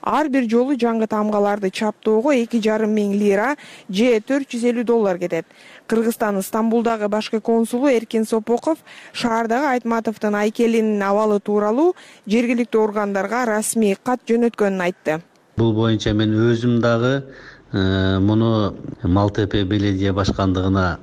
Ар бир жолу жаңы тамгаларды чаптоого 2,5 миң лира же $450 кетет. Кыргызстандын Стамбулдагы башкы консулу Эркин Сопоков шаардагы Айтматовдун айкелинин абалы тууралуу жергиликтүү органдарга расмий кат жөнөткөнүн айтты. Бул боюнча мен өзүм дагы муну Малтепе беледия башкандыгына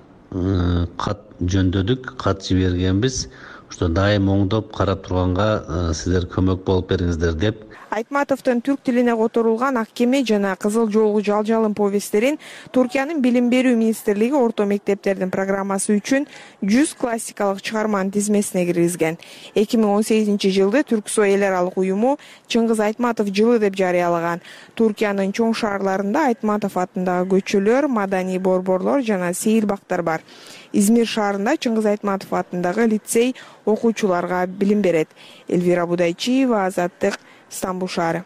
кат жөндөдүк, кат жибергенбиз. Ошто дайым оңдоп карап турганга сиздер көмөк болуп бериңиздер деп. Айтматовдун түрк тилине которулган Ак кеме жана Кызыл жолгу жалжалым повесттерин Туркиянын Билим берүү министрлиги орто мектептердин программасы үчүн 100 классикалык чыгарманын тизмесине киргизген. 2018-жылды Түрксой эл аралык уюму Чыңгыз Айтматов жылы деп жарыялаган. Туркиянын чоң шаарларында Айтматов атындагы көчөлөр, маданий борборлор жана сейил бактар бар. Измир шаарында Чыңгыз Айтматов атындагы лицей окуучуларга билим берет. Элвира Будайчиева, Азаттык, Стамбул шаары.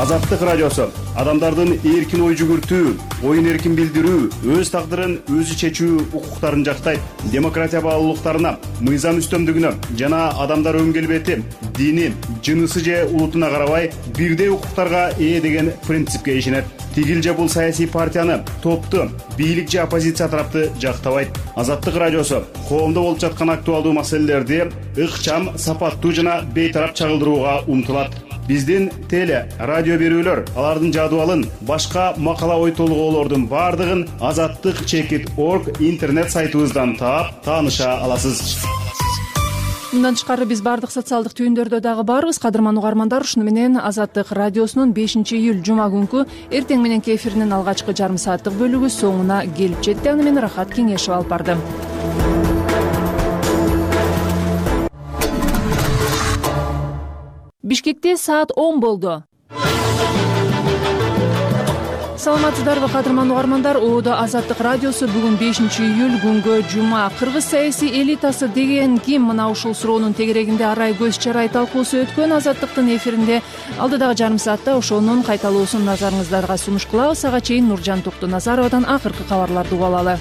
Азаттык радиосу адамдардын эркин ой жүгүртүү, оюн эркин билдирүү, өз тагдырын өзү чечүү укуктарын жактайт. Демократия баалуулуктарына, мыйзам үстөмдүгүнө жана адамдар өн келбети, дини, жынысы же улутуна карабай бирдей укуктарга ээ деген принципке ишенет. Тигил же бул саясий партияны, топту, бийлик же оппозиция тарапты жактабайт. Азаттык радиосу коомдо болуп жаткан актуалдуу маселелерди ыкчам, сапаттуу жана бейтарап чагылдырууга умтулат. Биздин теле, радио берүүлөр, алардын жадыбалын, башка макала ой толгоолордун бардыгын azattyk.org интернет сайтыбыздан таап, тааныша аласыз. Мындан тышкары биз бардык социалдык түйүндөрдө дагы барбыз. Кадырман угармандар, ушуну менен Азаттык радиосунун 5-июль жума күнкү эртең мененки эфиринин алгачкы жарым сааттык бөлүгү соңуна келип жетти. Аны мен Рахат Кеңешев алып бардым. Бишкекте саат 10 болду. Саламатсыздарбы кадырман угармандар, Оодо Азаттык радиосу бүгүн 5-июль күнгө жума. Кыргыз саясий элитасы деген ким? Мына ушул суроонун тегерегинде арай көз чарай талкуусу өткөн. Азаттыктын эфиринде алдыдагы жарым саатта ошонун кайталоосун назарыңыздарга сунуш кылабыз. Ага чейин Нуржан Токтоназаровадан акыркы кабарларды угуп алалы.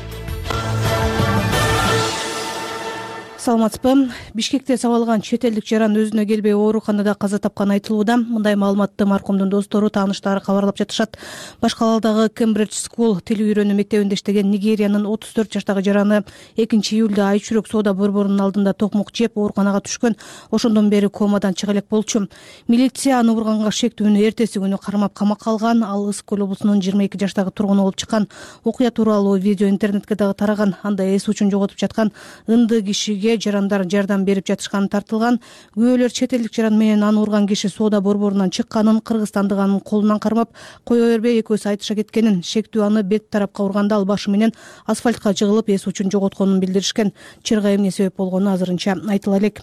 Саламатсызбы? Бишкекте сабалган чет элдик жаран өзүнө келбей ооруканада каза тапканы айтылууда. Мындай маалыматты маркумдун достору, тааныштары кабарлап жатышат. Башкалаадагы Кембридж School тил үйрөнүү мектебинде иштеген Нигериянын 34 жаштагы жараны 2-июлда айчүрөк соода борборунун алдында токмук жеп ооруканага түшкөн. Ошондон бери комадан чыга элек болчу. Милиция аны урганга шектүүнү эртеси күнү кармап камакка алган. Ал Ысык көл облусунун 22 жаштагы тургуну болуп чыккан. Окуя тууралуу видео интернетке дагы тараган. Анда эс учун жоготуп жаткан ынды кишиге жарандар жардам берип жатышканы тартылган. Күбөлөр чет элдик жаран менен аны урган киши соода борборунан чыкканын, кыргызстандык анын колунан кармап кое бербей экөөсү айтыша кеткенин, шектүү аны бет тарапка урганда ал башы менен асфальтка жыгылып эс учун жоготконун билдиришкен. Чырга эмне себеп болгону азырынча айтыла элек.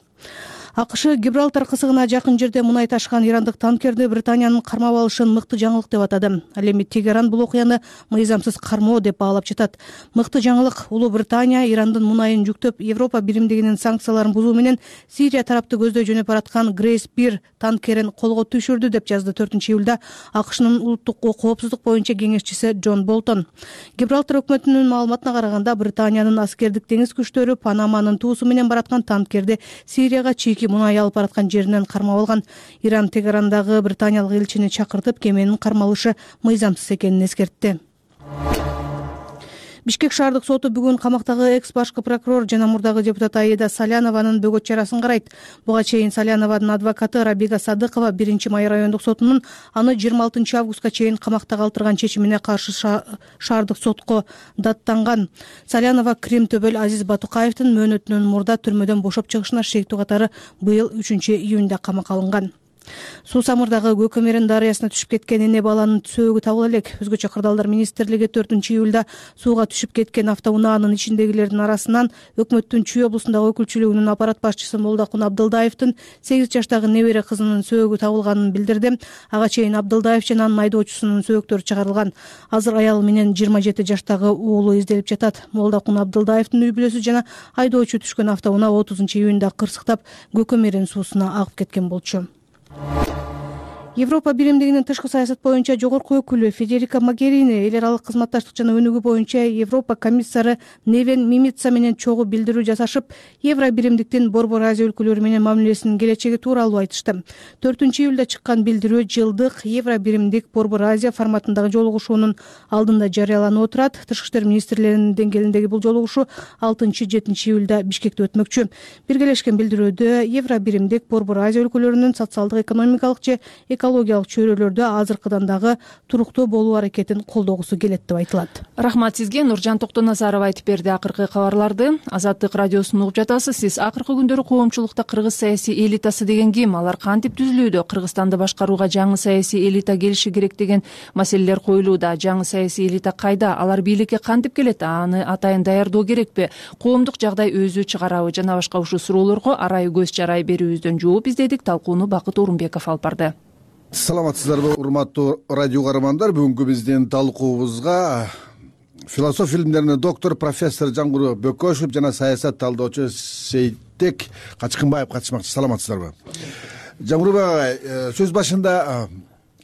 АКШ Гибралтар кысыгына жакын жерде мунай ташыган ирандык танкерди Британиянын кармап алышын мыкты жаңылык деп атады. Ал эми Тегеран бул окуяны мыйзамсыз кармоо деп баалап жатат. Мыкты жаңылык: Улуу Британия Ирандын мунайын жүктөп Европа биримдигинин санкцияларын бузуу менен Сирия тарапты көздөй жөнөп бараткан Грейс 1 танкерин колго түшүрдү деп жазды 4-июлда АКШнын улуттук коопсуздук боюнча кеңешчиси Джон Болтон. Гибралтар өкмөтүнүн маалыматына караганда, Британиянын аскердик деңиз күчтөрү Панаманын туусу менен бараткан танкерди Сирияга чийки мунай алып бараткан жеринен кармап алган. Иран Тегерандагы британиялык элчини чакыртып, кеменин кармалышы мыйзамсыз экенин эскертти. Бишкек шаардык соту бүгүн камактагы экс башкы прокурор жана мурдагы депутат Аида Салянованын бөгөт чарасын карайт. Буга чейин Салянованын адвокаты Рабига Садыкова 1-Май райондук сотунун аны 26 августка чейин камакта калтырган чечимине каршы шаардык сотко даттанган. Салянова Крим Төбөл Азиз Батукаевдин мөөнөтүнөн мурда түрмөдөн бошоп чыгышына шектүү катары быйыл 3-июнда камакка алынган. Суу Самырдагы Көкөмерин дарыясына түшүп кеткен эне баланын сөөгү табыла элек. Өзгөчө кырдаалдар министрлиги 4-июлда сууга түшүп кеткен автоунаанын ичиндегилердин арасынан өкмөттүн Чүй облусундагы өкүлчүлүгүнүн аппарат башчысы Молдокун Абдылдаевдин 8 жаштагы небере кызынын сөөгү табылганын билдирди. Ага чейин Абдылдаев жана анын айдоочусунун сөөктөрү чыгарылган. Азыр аял менен 27 жаштагы уулу изделип жатат. Молдокун Абдылдаевдин үй бүлөсү жана айдоочу түшкөн автоунаа 30-июнда кырсыктап Көкөмерин суусуна агып кеткен болчу. Европа биримдигинин тышкы саясат боюнча жогорку өкүлү Федерика Могерини эл аралык кызматташтык жана өнүгүү боюнча Европа комиссары Невен Мимица менен чогуу билдирүү жасашып, Евро биримдиктин Борбор Азия өлкөлөрү менен мамилесинин келечеги тууралуу айтышты. 4-июлда чыккан билдирүү жылдык Евро биримдик Борбор Азия форматындагы жолугушуунун алдында жарыяланып отурат. Тышкы иштер министрлеринин деңгээлиндеги бул жолугушуу 6-7-июлда Бишкекте өтмөкчү. Биргелешкен билдирүүдө Евро биримдик Борбор Азия өлкөлөрүнүн социалдык, экономикалык же экологиялык чөйрөлөрдө азыркыдан дагы туруктуу болуу аракетин колдогусу келет деп айтылат. Рахмат сизге. Нуржан Токтоназарова айтып берди акыркы кабарларды. Азаттык радиосун угуп жатасыз. Сиз акыркы күндөрү коомчулукта кыргыз саясий элитасы деген ким? Алар кантип түзүлүүдө? Кыргызстанды башкарууга жаңы саясий элита келиши керек деген маселелер коюлууда. Жаңы саясий элита кайда? Алар бийликке кантип келет? Аны атайын даярдоо керекпи? Коомдук жагдай өзү чыгарабы? Жана башка ушул суроолорго арай көз чарай берүүбүздөн жооп издедик. Талкууну Бакыт Орунбеков алып барды. Саламатсыздарбы, урматтуу радио угармандар. Бүгүнкү биздин талкуубузга философия илимдеринин доктору профессор Жангуру Бөкөшев жана саясат талдоочу Сейтек Качкынбаев катышмакчы. Саламатсыздарбы? Жангурбек агай, сөз башында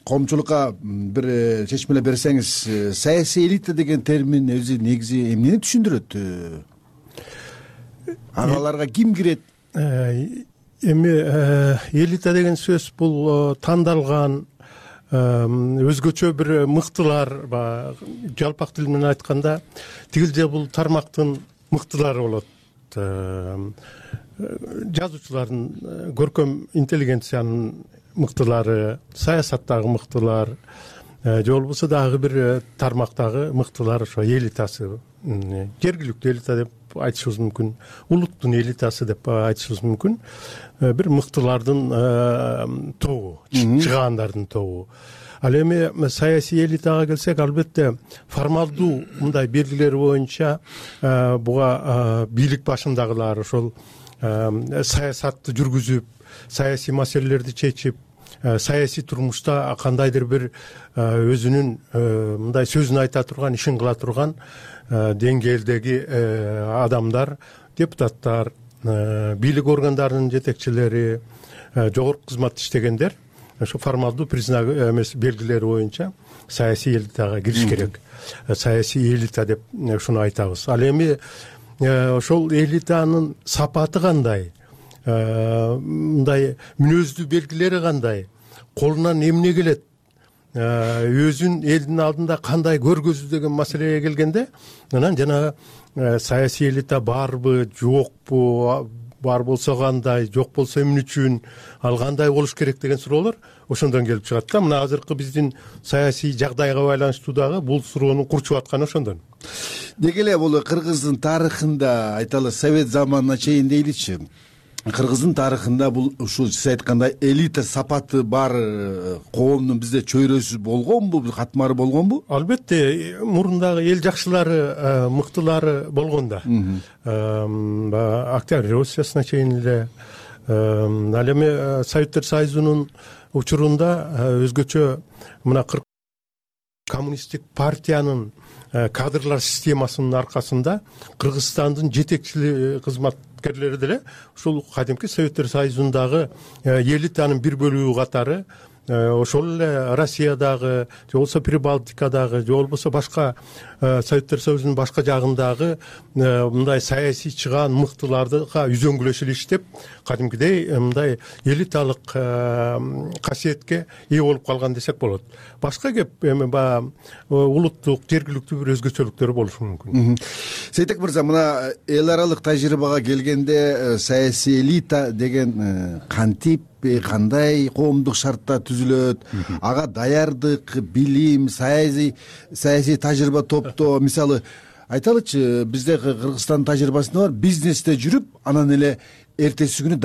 коомчулукка бир чечмеле берсеңиз, саясий элита деген термин өзү негизи эмнени түшүндүрөт? Агаларга ким кирет? Эми элита деген сөз бул тандалган өзгөчө бир мыктылар, жалпак тил менен айтканда тигил же бул тармактын мыктылары болот. Жазуучулардын, көркөм интеллигенциянын мыктылары, саясаттагы мыктылар, же болбосо дагы бир тармактагы мыктылар, ошо элитасы, жергиликтүү элита деп айтышыбыз мүмкүн, улуттун элитасы деп айтышыбыз мүмкүн. Бир мыктылардын тобу, чыгаандардын тобу. Ал эми саясий элитага келсек, албетте формалдуу мындай белгилери боюнча буга бийлик башындагылар, ошол саясатты жүргүзүп, саясий маселелерди чечип, саясий турмушта кандайдыр бир өзүнүн мындай сөзүн айта турган, ишин кыла турган деңгээлдеги адамдар, депутаттар, бийлик органдарынын жетекчилери, жогорку кызматта иштегендер, ошо формалдуу признак эмес белгилери боюнча саясий элитага кириш керек. Саясий элита деп ушуну айтабыз. Ал эми ошол элитанын сапаты кандай, мындай мүнөздүү белгилери кандай, колунан эмне келет, өзүн элдин алдында кандай көргөзүү деген маселеге келгенде, анан жанагы саясий элита барбы, жокпу, бар болсо кандай, жок болсо эмне үчүн, ал кандай болуш керек деген суроолор ошондон келип чыгат да. Мына азыркы биздин саясий жагдайга байланыштуу дагы бул суроону курчуп атканы ошондон. Деги эле бул Кыргыздын тарыхында, айталы Совет заманына чейин дейличи, Кыргыздын тарыхында бул ушул сиз айткандай элита сапаты бар коомдун бизде чөйрөсү болгонбу, катмары болгонбу? Албетте, мурундагы эл жакшылары, мыктылары болгон да. Октябрь революциясына чейин эле. Ал эми Советтер Союзунун учурунда өзгөчө мына коммунисттик партиянын кадрлар системасынын аркасында Кыргызстандын жетекчилик кызматкерлери деле ушул кадимки Советтер Союзундагы элитанын бир бөлүгү катары ошол эле Россиядагы, же болбосо Прибалтикадагы, же болбосо башка Советтер Союзунун башка жагындагы мындай саясий чыгаан мыктыларга үзөңгүлөшүп иштеп, кадимкидей мындай элиталык касиетке ээ болуп калган десек болот. Башка кеп эми баягы улуттук, жергиликтүү бир өзгөчөлүктөр болушу мүмкүн. Сейтек мырза, мына эл аралык тажрыйбага келгенде саясий элита деген кантип, кандай коомдук шартта түзүлөт, ага даярдык, билим, саясий тажрыйба топтоо, мисалы айталычы, бизде Кыргызстандын тажрыйбасында бар, бизнесте жүрүп, анан эле эртеси күнү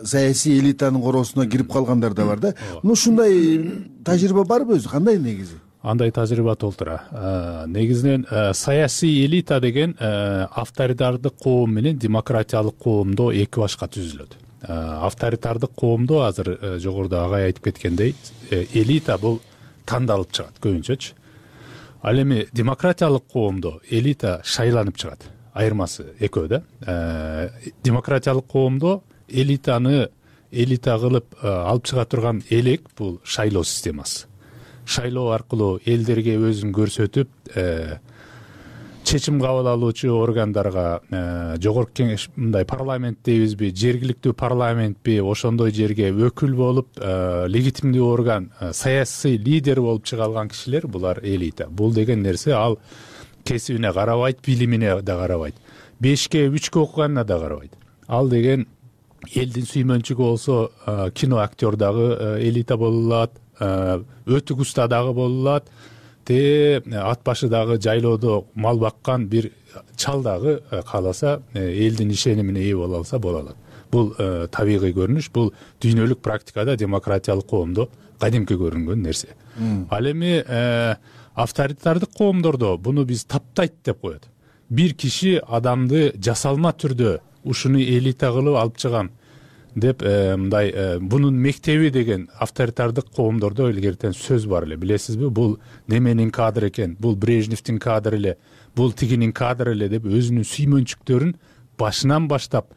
саясий элитанын короосуна кирип калгандар да бар да. Ушундай тажрыйба барбы өзү, кандай негизи? Андай тажрыйба толтура. Негизинен саясий элита деген авторитардык коом менен демократиялык коомдо эки башка түзүлөт. Авторитардык коомдо азыр жогоруда агай айтып кеткендей, элита бул тандалып чыгат көбүнчөчү. Ал эми демократиялык коомдо элита шайланып чыгат. Айырмасы экөө да. Демократиялык коомдо элита кылып алып чыга турган элек бул шайлоо системасы. Шайлоо аркылуу элдерге өзүн көрсөтүп, чечим кабыл алуучу органдарга, жогорку кеңеш, мындай парламент дейбизби, жергиликтүү парламентпи, ошондой жерге өкүл болуп, легитимдүү орган, саясий лидер болуп чыга алган кишилер, булар элита. Бул деген нерсе ал кесибине карабайт, билимине да карабайт, 5-3 окуганына да карабайт. Ал деген элдин сүймөнчүгү болсо, кино актер дагы элита боло алат, өтүк уста дагы боло алат, ат башы дагы жайлоодо мал баккан бир чал дагы кааласа элдин ишенимине ээ боло алса боло алат. Бул табигый көрүнүш, бул дүйнөлүк практикада демократиялык коомдо кадимки көрүнгөн нерсе. Ал эми авторитардык коомдордо буну биз таптайт деп коет. Бир киши адамды жасалма түрдө ушуну элита кылып алып чыгам деп мындай бунун мектеби деген авторитардык коомдордо илгертен сөз бар эле, билесизби? Бул неменин кадры экен, бул Брежневдин кадры эле, бул тигинин кадры эле деп өзүнүн сүймөнчүктөрүн башынан баштап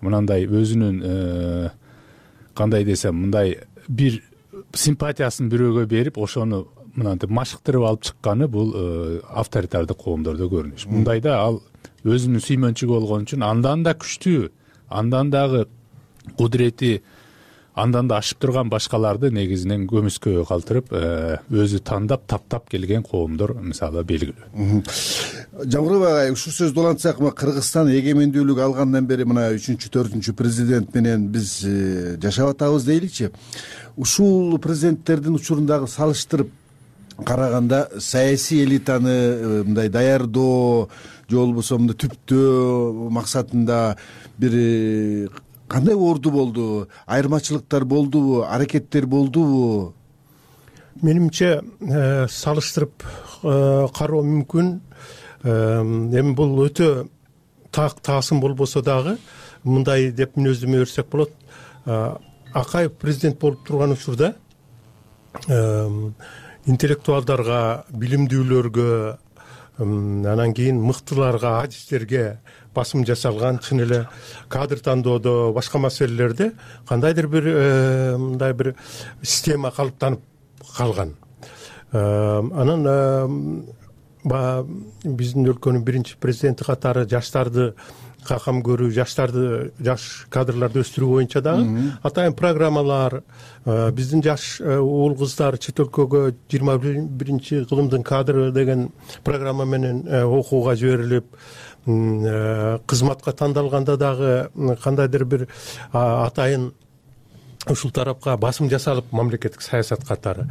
мынандай өзүнүн кандай десем, мындай бир симпатиясын бирөөгө берип, ошону мынантип машыктырып алып чыкканы бул авторитардык коомдордо көрүнүш. Мындайда ал өзүнүн сүймөнчүгү болгон үчүн андан да күчтүү, андан дагы кудурети андан да ашып турган башкаларды негизинен көмүскөгө калтырып өзү тандап таптап келген коомдор мисалы белгилүү. Жамгыров агай, ушул сөздү улантсак, Кыргызстан эгемендүүлүк алгандан бери мына 3-4 президент менен биз жашап атабыз дейличи. Ушул президенттердин учурундагы салыштырып караганда саясий элитаны мындай даярдоо же болбосо мындай түптөө максатында бир кандай орду болду? Айырмачылыктар болдубу? Аракеттер болдубу? Менимче салыштырып кароо мүмкүн. Эми бул өтө таасым болбосо дагы мындай деп мүнөздөмө берсек болот. Акаев президент болуп турган учурда интеллектуалдарга, билимдүүлөргө, анан кийин мыктыларга, адистерге басым жасалган, чын эле кадр тандоодо, башка маселелерде кандайдыр бир мындай бир система калыптанып калган. Анан биздин өлкөнүн биринчи президенти катары жаштарды какам көрүү, жаш кадрларды өстүрүү боюнча дагы атайын программалар, биздин жаш уул кыздар чет өлкөгө 21 кылымдын кадры деген программа менен окууга жиберилип, кызматка тандалганда дагы кандайдыр бир атайын ушул тарапка басым жасалып, мамлекеттик саясат катары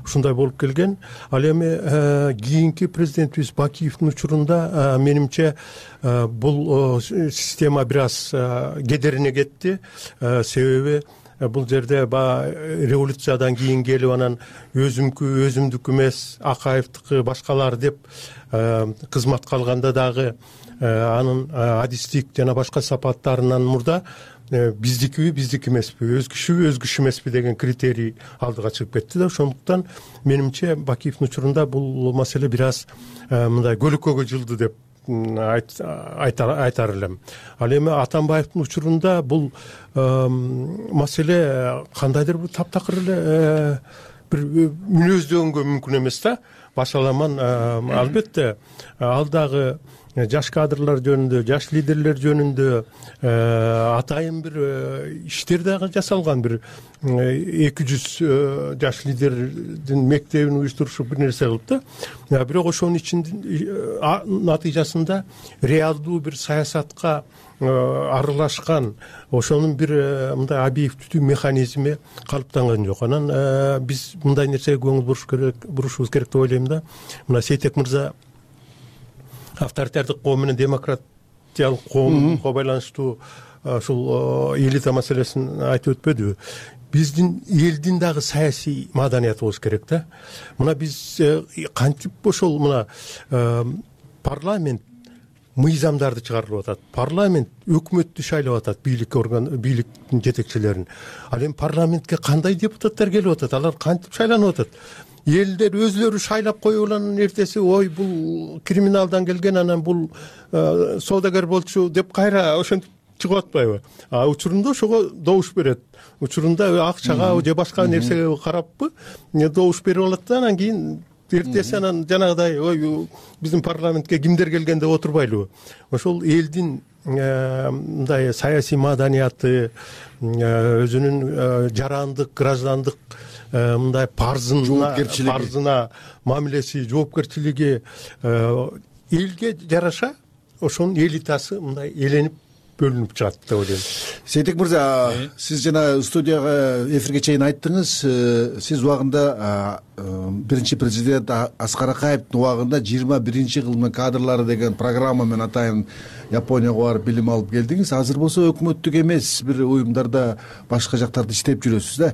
ушундай болуп келген. Ал эми кийинки президентибиз Бакиевдин учурунда менимче бул система бир аз кедерине кетти. Себеби бул жерде революциядан кийин келип, анан өзүмдүкү эмес, Акаевдики башкалар деп кызматка алганда дагы анын адистик жана башка сапаттарынан мурда биздики эмеспи, өзгүчү эмеспи деген критерий алдыга чыгып кетти да. Ошондуктан менимче Бакиевдин учурунда бул маселе бир аз мындай көлөкөгө жылды деп айтар элем. Ал эми Атамбаевдин учурунда бул маселе кандайдыр бир таптакыр эле бир мүнөздөгөнгө мүмкүн эмес да. Башаламан албетте ал дагы жаш кадрлар жөнүндө, жаш лидерлер жөнүндө атайын бир иштер дагы жасалган. Бир 200 жаш лидердин мектебин уюштурушуп бир нерсе кылып да. Бирок ошонун ичинде натыйжасында реалдуу бир саясатка аралашкан, ошонун бир мындай объективдүү механизми калыптанган жок. Анан биз мындай нерсеге көңүл бурушубуз керек деп ойлойм да. Мына Сейтек мырза авторитардык коом менен демократиялык коомго байланыштуу ушул элита маселесин айтып өтпөдүбү? Биздин элдин дагы саясий маданияты болуш керек да. Мына биз кантип ошол мына парламент мыйзамдарды чыгарып атат, парламент өкмөттү шайлап атат, бийликтин жетекчилерин. Ал эми парламентке кандай депутаттар келип атат, алар кантип шайланып атат? Элдер өзлөрү шайлап коюп анан эртеси ой бул криминалдан келген, анан бул соодагер болчу деп кайра ошентип чыгып атпайбы? Учурунда ошого добуш берет. Учурунда акчага же башка нерсеге караппы добуш берип алат да, анан кийин эртеси анан жанагыдай ой биздин парламентке кимдер келген деп отурбайлыбы? Ошол элдин мындай саясий маданияты, өзүнүн жарандык, граждандык мындай парзына мамилеси, жоопкерчилиги элге жараша ошонун элитасы мындай эленип бөлүнүп чыгат деп ойлойм. Сейтек мырза, сиз жана студияга эфирге чейин айттыңыз, сиз убагында биринчи президент Аскар Акаевдин убагында 21 кылымдын кадрлары деген программа менен атайын Японияга барып билим алып келдиңиз. Азыр болсо өкмөттүк эмес бир уюмдарда, башка жактарда иштеп жүрөсүз да.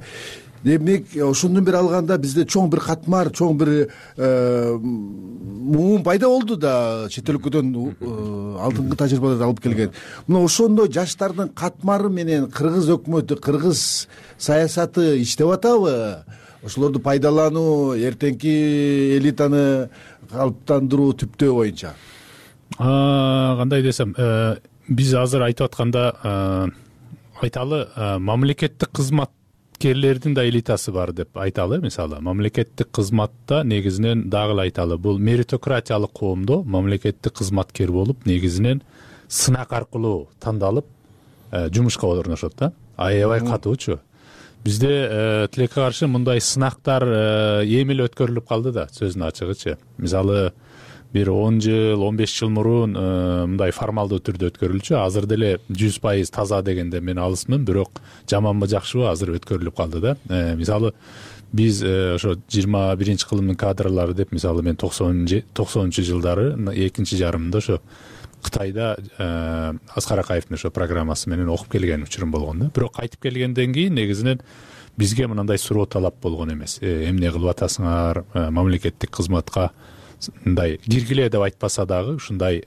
демек ошондон бери алганда бизде чоң бир катмар, чоң бир муун пайда болду да чет өлкөдөн алдыңкы тажрыйбаларды алып келген. Мына ошондой жаштардын катмары менен кыргыз өкмөтү, кыргыз саясаты иштеп атабы? Ошолорду пайдалануу, эртеңки элитаны калыптандыруу түптөө боюнча. Кандай десем, биз азыр айтып атканда айталы, мамлекеттик кызматкерлердин да элитасы бар деп айталы. Мисалы, мамлекеттик кызматта негизинен дагы айталы, бул меритократиялык коомдо мамлекеттик кызматкер болуп, негизинен сынак аркылуу тандалып жумушка орношот да. Аябай катуучу. Бизде тилекке каршы мындай сынактар эми эле өткөрүлүп калды да, сөздүн ачыгычы. Мисалы, бир 10 жыл, 15 жыл мурун мындай формалдуу түрдө өткөрүлчү. Азыр деле 100% таза дегенде мен алысмын, бирок жаманбы жакшыбы азыр өткөрүлүп калды да. Мисалы, биз ошо 21-кылымдын кадрлары деп, мисалы, мен 90-жылдары экинчи жарымында ошо Кытайда Аскар Акаевдин ошо программасы менен окуп келген учурум болгон да. Бирок кайтып келгенден кийин негизинен бизге мындай суроо талап болгон эмес. Эмне кылып атасыңар, мамлекеттик кызматка мындай киргиле деп айтпаса дагы ушундай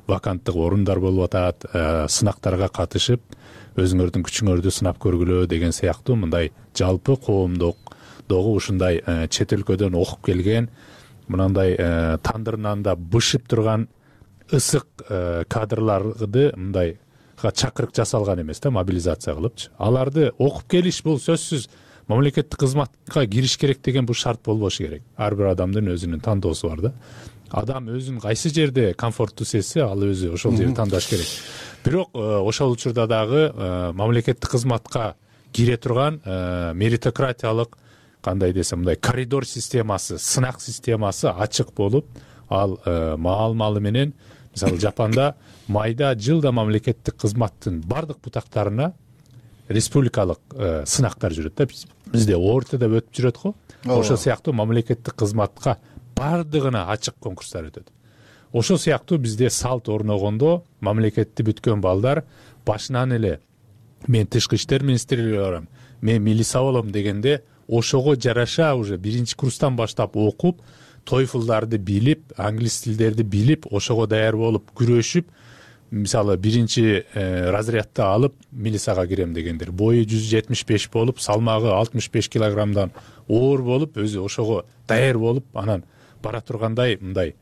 ваканттык орундар болуп атат, сынактарга катышып, өзүңөрдүн күчүңөрдү сынап көргүлө деген сыяктуу мындай жалпы коомдогу ушундай чет өлкөдөн окуп келген, мындай тандырынан да бышып турган ысык кадрларды мындай чакырык жасалган эмес да, мобилизация кылыпчы. Аларды окуп келиш бул сөзсүз мамлекеттик кызматка кириш керек деген бул шарт болбошу керек. Ар бир адамдын өзүнүн тандоосу бар да. Адам өзүн кайсы жерде комфорттуу сезсе, ал өзү ошол жерди тандаш керек. Бирок ошол учурда дагы мамлекеттик кызматка кире турган меритократиялык, кандай десем, мындай коридор системасы, сынак системасы ачык болуп, ал маал-малы менен, мисалы, Жапанда майда жылда мамлекеттик кызматтын бардык бутактарына республикалык сынактар жүрөт да. Бизде ортодо өтүп жүрөт го. Ошол сыяктуу мамлекеттик кызматка бардыгына ачык конкурстар өтөт. Ошол сыяктуу бизде салт орногондо мамлекетти бүткөн балдар башынан эле мен тышкы иштер министрлиги барам, мен милиция болом дегенде ошого жараша уже биринчи курстан баштап окуп, TOEFL'дарды билип, англис тилдерди билип, ошого даяр болуп, күрөшүп, мисалы, биринчи разрядты алып, милицияга кирем дегендер. Бою 175 болуп, салмагы 65 килограммдан оор болуп, өзү ошого даяр болуп, анан бара тургандай мындай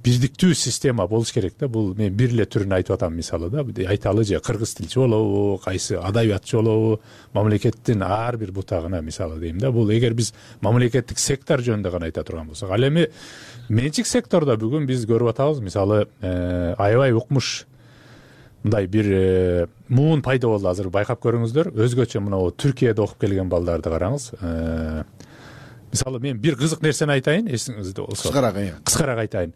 бирдиктүү система болуш керек да. Бул мен бир эле түрүн айтып атам, мисалы да. Айталы же кыргыз тилчи болобу, кайсы адабиятчы болобу, мамлекеттин ар бир бутагына, мисалы дейм да. Бул эгер биз мамлекеттик сектор жөнүндө гана айта турган болсок, ал эми менчик сектордо бүгүн биз көрүп атабыз, мисалы, аябай укмуш мындай бир муун пайда болду. Азыр байкап көрүңүздөр, өзгөчө мына Түркияда окуп келген балдарды караңыз. Мисалы, мен бир кызык нерсени айтайын, эсиңизде болсо. Кыскараак айтайын.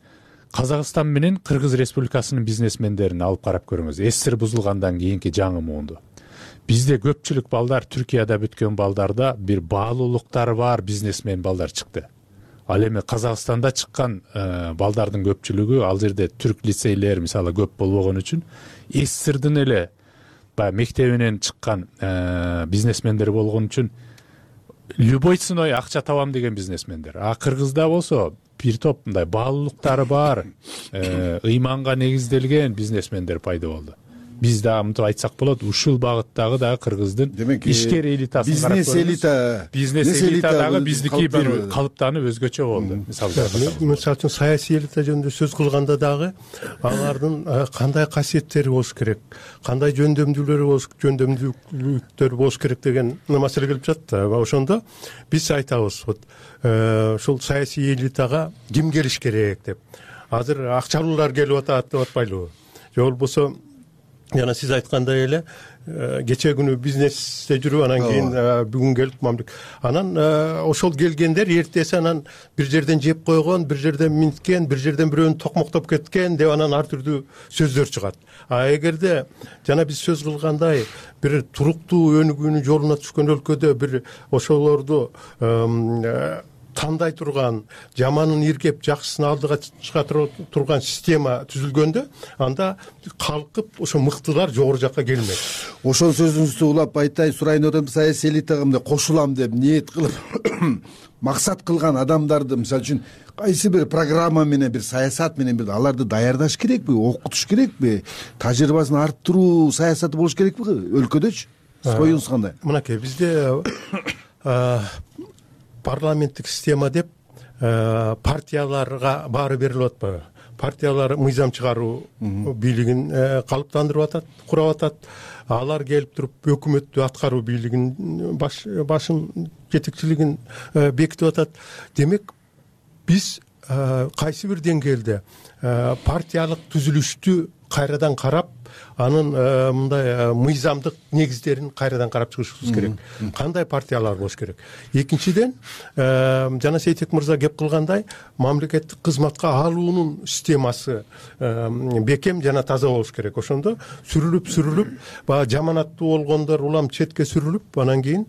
Казакстан менен Кыргыз Республикасынын бизнесмендерин алып карап көрүңүз. СССР бузулгандан кийинки жаңы муунду. Бизде көпчүлүк балдар, Түркияда бүткөн балдарда бир баалуулуктары бар бизнесмен балдар чыкты. Ал эми Казакстанда чыккан балдардын көпчүлүгү ал жерде түрк лицейлер, мисалы, көп болбогон үчүн СССРдин эле баягы мектебинен чыккан бизнесмендер болгон үчүн любой ценой акча табам деген бизнесмендер. А Кыргызда болсо бир топ мындай баалуулуктары бар, ыйманга негизделген бизнесмендер пайда болду. Биз да мынтип айтсак болот, ушул багыттагы дагы Кыргыздын ишкер элитасын карап көрүңүз. Бизнес элита дагы биздики бир калыптанып өзгөчө болду. Мисалы үчүн саясий элита жөнүндө сөз кылганда дагы алардын кандай касиеттери болуш керек, кандай жөндөмдүүлүктөр болуш керек деген маселе келип жатат да. Ошондо биз айтабыз, ушул саясий элитага ким келиш керек деп. Азыр акчалуулар келип атат деп атпайлыбы? Же болбосо жана сиз айткандай эле кечээ күнү бизнесте жүрүп, анан кийин бүгүн келип анан ошол келгендер эртеси анан бир жерден жеп койгон, бир жерден минткен, бир жерден бирөөнү токмоктоп кеткен деп анан ар түрдүү сөздөр чыгат. А эгерде жана биз сөз кылгандай бир туруктуу өнүгүүнүн жолуна түшкөн өлкөдө бир ошолорду тандай турган, жаманын иркеп жакшысын алдыга чыгара турган система түзүлгөндө анда калкып ошо мыктылар жогору жакка келмек. Ошол сөзүңүздү улап айтайын, сурайын деп атам, саясий элитага мындай кошулам деп ниет кылып максат кылган адамдарды, мисалы үчүн кайсы бир программа менен, бир саясат менен бир аларды даярдаш керекпи, окутуш керекпи, тажрыйбасын арттыруу саясаты болуш керекпи өлкөдөчү? Оюңуз кандай? Мынакей бизде парламенттик система деп партияларга баары берилип атпайбы? Партиялар мыйзам чыгаруу бийлигин калыптандырып атат, курап атат. Алар келип туруп өкмөттү аткаруу бийлигин башын жетекчилигин бекитип атат. Демек биз кайсы бир деңгээлде партиялык түзүлүштү кайрадан карап, анын мындай мыйзамдык негиздерин кайрадан карап чыгышыбыз керек. Кандай партиялар болуш керек? Экинчиден, жана Сейтек мырза кеп кылгандай, мамлекеттик кызматка алуунун системасы бекем жана таза болуш керек. Ошондо сүрүлүп, баягы жаманаттуу болгондор улам четке сүрүлүп, анан кийин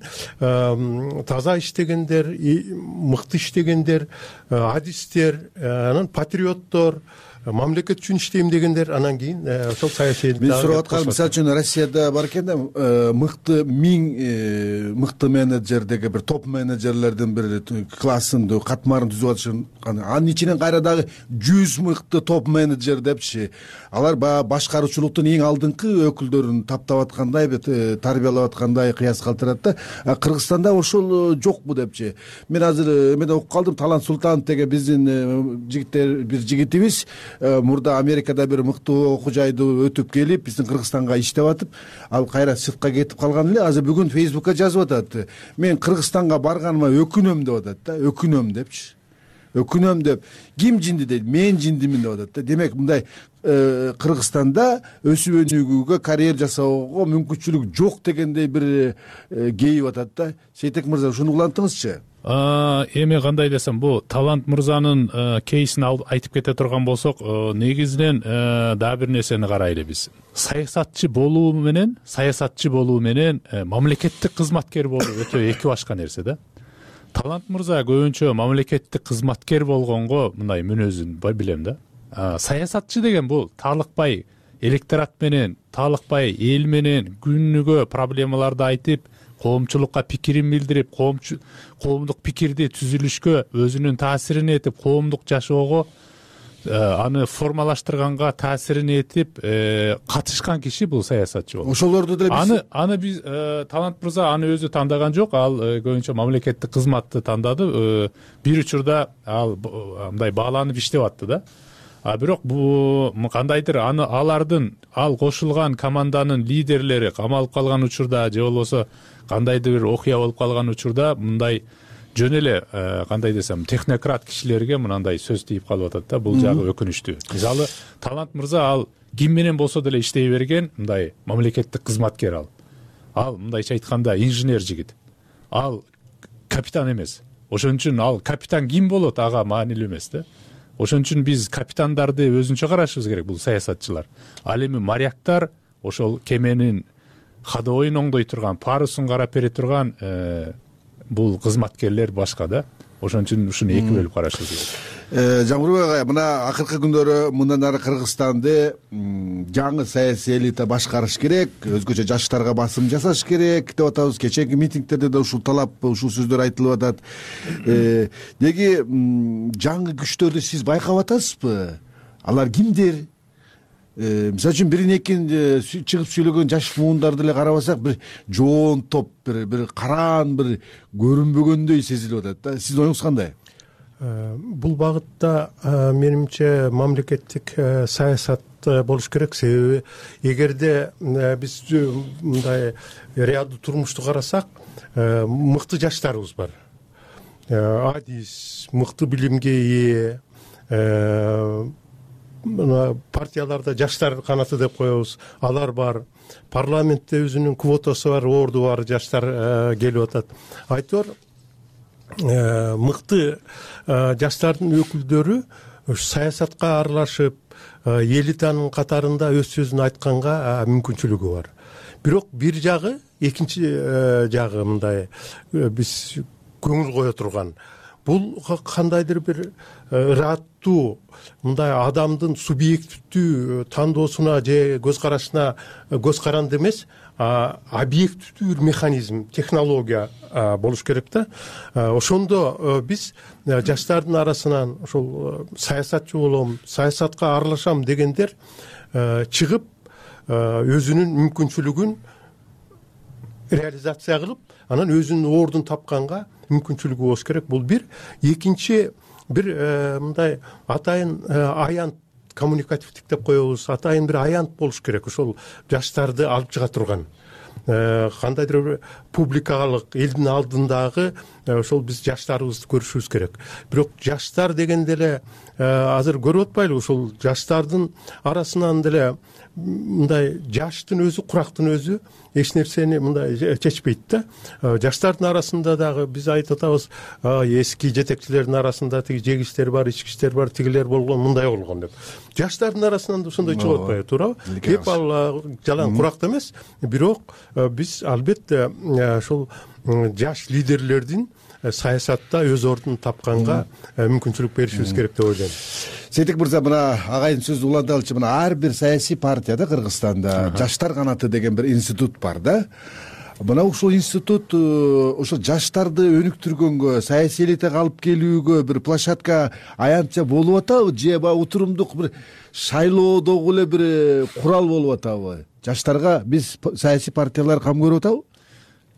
таза иштегендер, мыкты иштегендер, адистер, анан патриоттор, мамлекет үчүн иштейм дегендер, анан кийин ошол саясий мен сурап атканым, мисалы үчүн Россияда бар экен да, мыкты мыкты менеджер деген бир топ менеджерлердин бир классын, катмарын түзүп атышын, анын ичинен кайра дагы 100 мыкты топ менеджер депчи, алар баягы башкаруучулуктун эң алдыңкы өкүлдөрүн таптап аткандай, тарбиялап аткандай кыяс калтырат да. Кыргызстанда ошол жокпу депчи. Мен азыр эмеде окуп калдым, Талант Султанов деген биздин жигиттер, бир жигитибиз мурда Америкада бир мыктуу окуу жайды өтүп келип, биздин Кыргызстанга иштеп атып, ал кайра сыртка кетип калган эле. Азыр бүгүн Фейсбукка жазып атат. Мен Кыргызстанга барганыма өкүнөм деп атат да, өкүнөм депчи. Өкүнөм деп, ким жинди дейт, мен жиндимин деп атат да. Демек мындай Кыргызстанда өсүп өнүгүүгө, карьера жасоого мүмкүнчүлүк жок дегендей бир кейип атат да. Сейтек мырза, ушуну улантыңызчы. Эми кандай десем, бул Талант мырзанын кейсин айтып кете турган болсок, негизинен дагы бир нерсени карайлы биз. Саясатчы болуу менен мамлекеттик кызматкер болуу өтө эки башка нерсе да. Талант мырза көбүнчө мамлекеттик кызматкер болгонго мындай мүнөзүн билем да. Саясатчы деген бул таалыкпай электорат менен, таалыкпай эл менен күнүгө проблемаларды айтып, коомчулукка пикирин билдирип, коомдук пикирди түзүлүшкө өзүнүн таасирин этип, коомдук жашоого аны формалаштырганга таасирин этип катышкан киши бул саясатчы болот. Ошолорду деле биз аны биз Талант мырза аны өзү тандаган жок, ал көбүнчө мамлекеттик кызматты тандады. Бир учурда ал мындай бааланып иштеп атты да. Бирок бул кандайдыр ал кошулган команданын лидерлери камалып калган учурда же болбосо кандайдыр бир окуя болуп калган учурда мындай жөн эле кандай десем технократ кишилерге мынандай сөз тийип калып атат да. Бул жагы өкүнүчтүү. Мисалы Талант мырза ал ким менен болсо деле иштей берген мындай мамлекеттик кызматкер ал мындайча айтканда инженер жигит. Ал капитан эмес. Ошон үчүн ал капитан ким болот ага маанилүү эмес да. Ошон үчүн биз капитандарды өзүнчө карашыбыз керек, бул саясатчылар. Ал эми моряктар ошол кеменин ходовойун оңдой турган, парусун карап бере турган бул кызматкерлер башка да. Ошон үчүн ушуну эки бөлүп карашыбыз керек. Жамбырбек агай, мына акыркы күндөрү мындан ары Кыргызстанды жаңы саясий элита башкарыш керек, өзгөчө жаштарга басым жасаш керек деп атабыз. Кечээки митингтерде да ушул талап, ушул сөздөр айтылып атат. Деги жаңы күчтөрдү сиз байкап атасызбы? Алар кимдер? Мисалы үчүн бирин экин чыгып сүйлөгөн жаш муундарды эле карабасак, бир жоон топ, бир караан, бир көрүнбөгөндөй сезилип атат да. Сиздин оюңуз кандай? Бул багытта менимче мамлекеттик саясат болуш керек. Себеби эгерде биз мындай реалдуу турмушту карасак, мыкты жаштарыбыз бар. Адис, мыкты билимге ээ, партияларда жаштар канаты деп коебуз, алар бар. Парламентте өзүнүн квотасы бар, орду бар жаштар келип атат. Айтор мыкты жаштардын өкүлдөрү саясатка аралашып, элитанын катарында өз сөзүн айтканга мүмкүнчүлүгү бар. Бирок бир жагы, экинчи жагы мындай биз көңүл кое турган, бул кандайдыр бир ыраттуу мындай адамдын субъективдүү тандоосуна же көз карашына көз каранды эмес, объективдүү бир механизм, технология болуш керек да. Ошондо биз жаштардын арасынан ошол саясатчы болом, саясатка аралашам дегендер чыгып өзүнүн мүмкүнчүлүгүн реализация кылып, анан өзүнүн ордун тапканга мүмкүнчүлүгү болуш керек. Бул бир. Экинчи бир мындай атайын аянт, коммуникативдик деп коебуз, атайын бир аянт болуш керек. Ошол жаштарды алып чыга турган кандайдыр бир публикалык элдин алдындагы ошол биз жаштарыбызды көрүшүбүз керек. Бирок жаштар дегенде эле азыр көрүп атпайлыбы, ошол жаштардын арасынан деле мындай жаштын өзү, курактын өзү эч нерсени мындай чечпейт да. Жаштардын арасында дагы биз айтып атабыз, эски жетекчилердин арасында тиги жегичтер бар, ичкичтер бар, тигилер болгон, мындай болгон деп. Жаштардын арасынан да ошондой чыгып атпайбы, туурабы? Кеп ал жалаң куракт эмес, бирок биз албетте ошол жаш лидерлердин саясатта өз ордун тапканга мүмкүнчүлүк беришибиз керек деп ойлойм. Сейтек мырза, мына агайдын сөзү уланталычы, мына ар бир саясий партияда Кыргызстанда жаштар канаты деген бир институт бар да. Мына ушул институт ошо жаштарды өнүктүргөнгө, саясий элитага алып келүүгө бир площадка аянтча болуп атабы, же баягы утурумдук бир шайлоодогу эле бир курал болуп атабы? Жаштарга биз саясий партиялар кам көрүп атабы?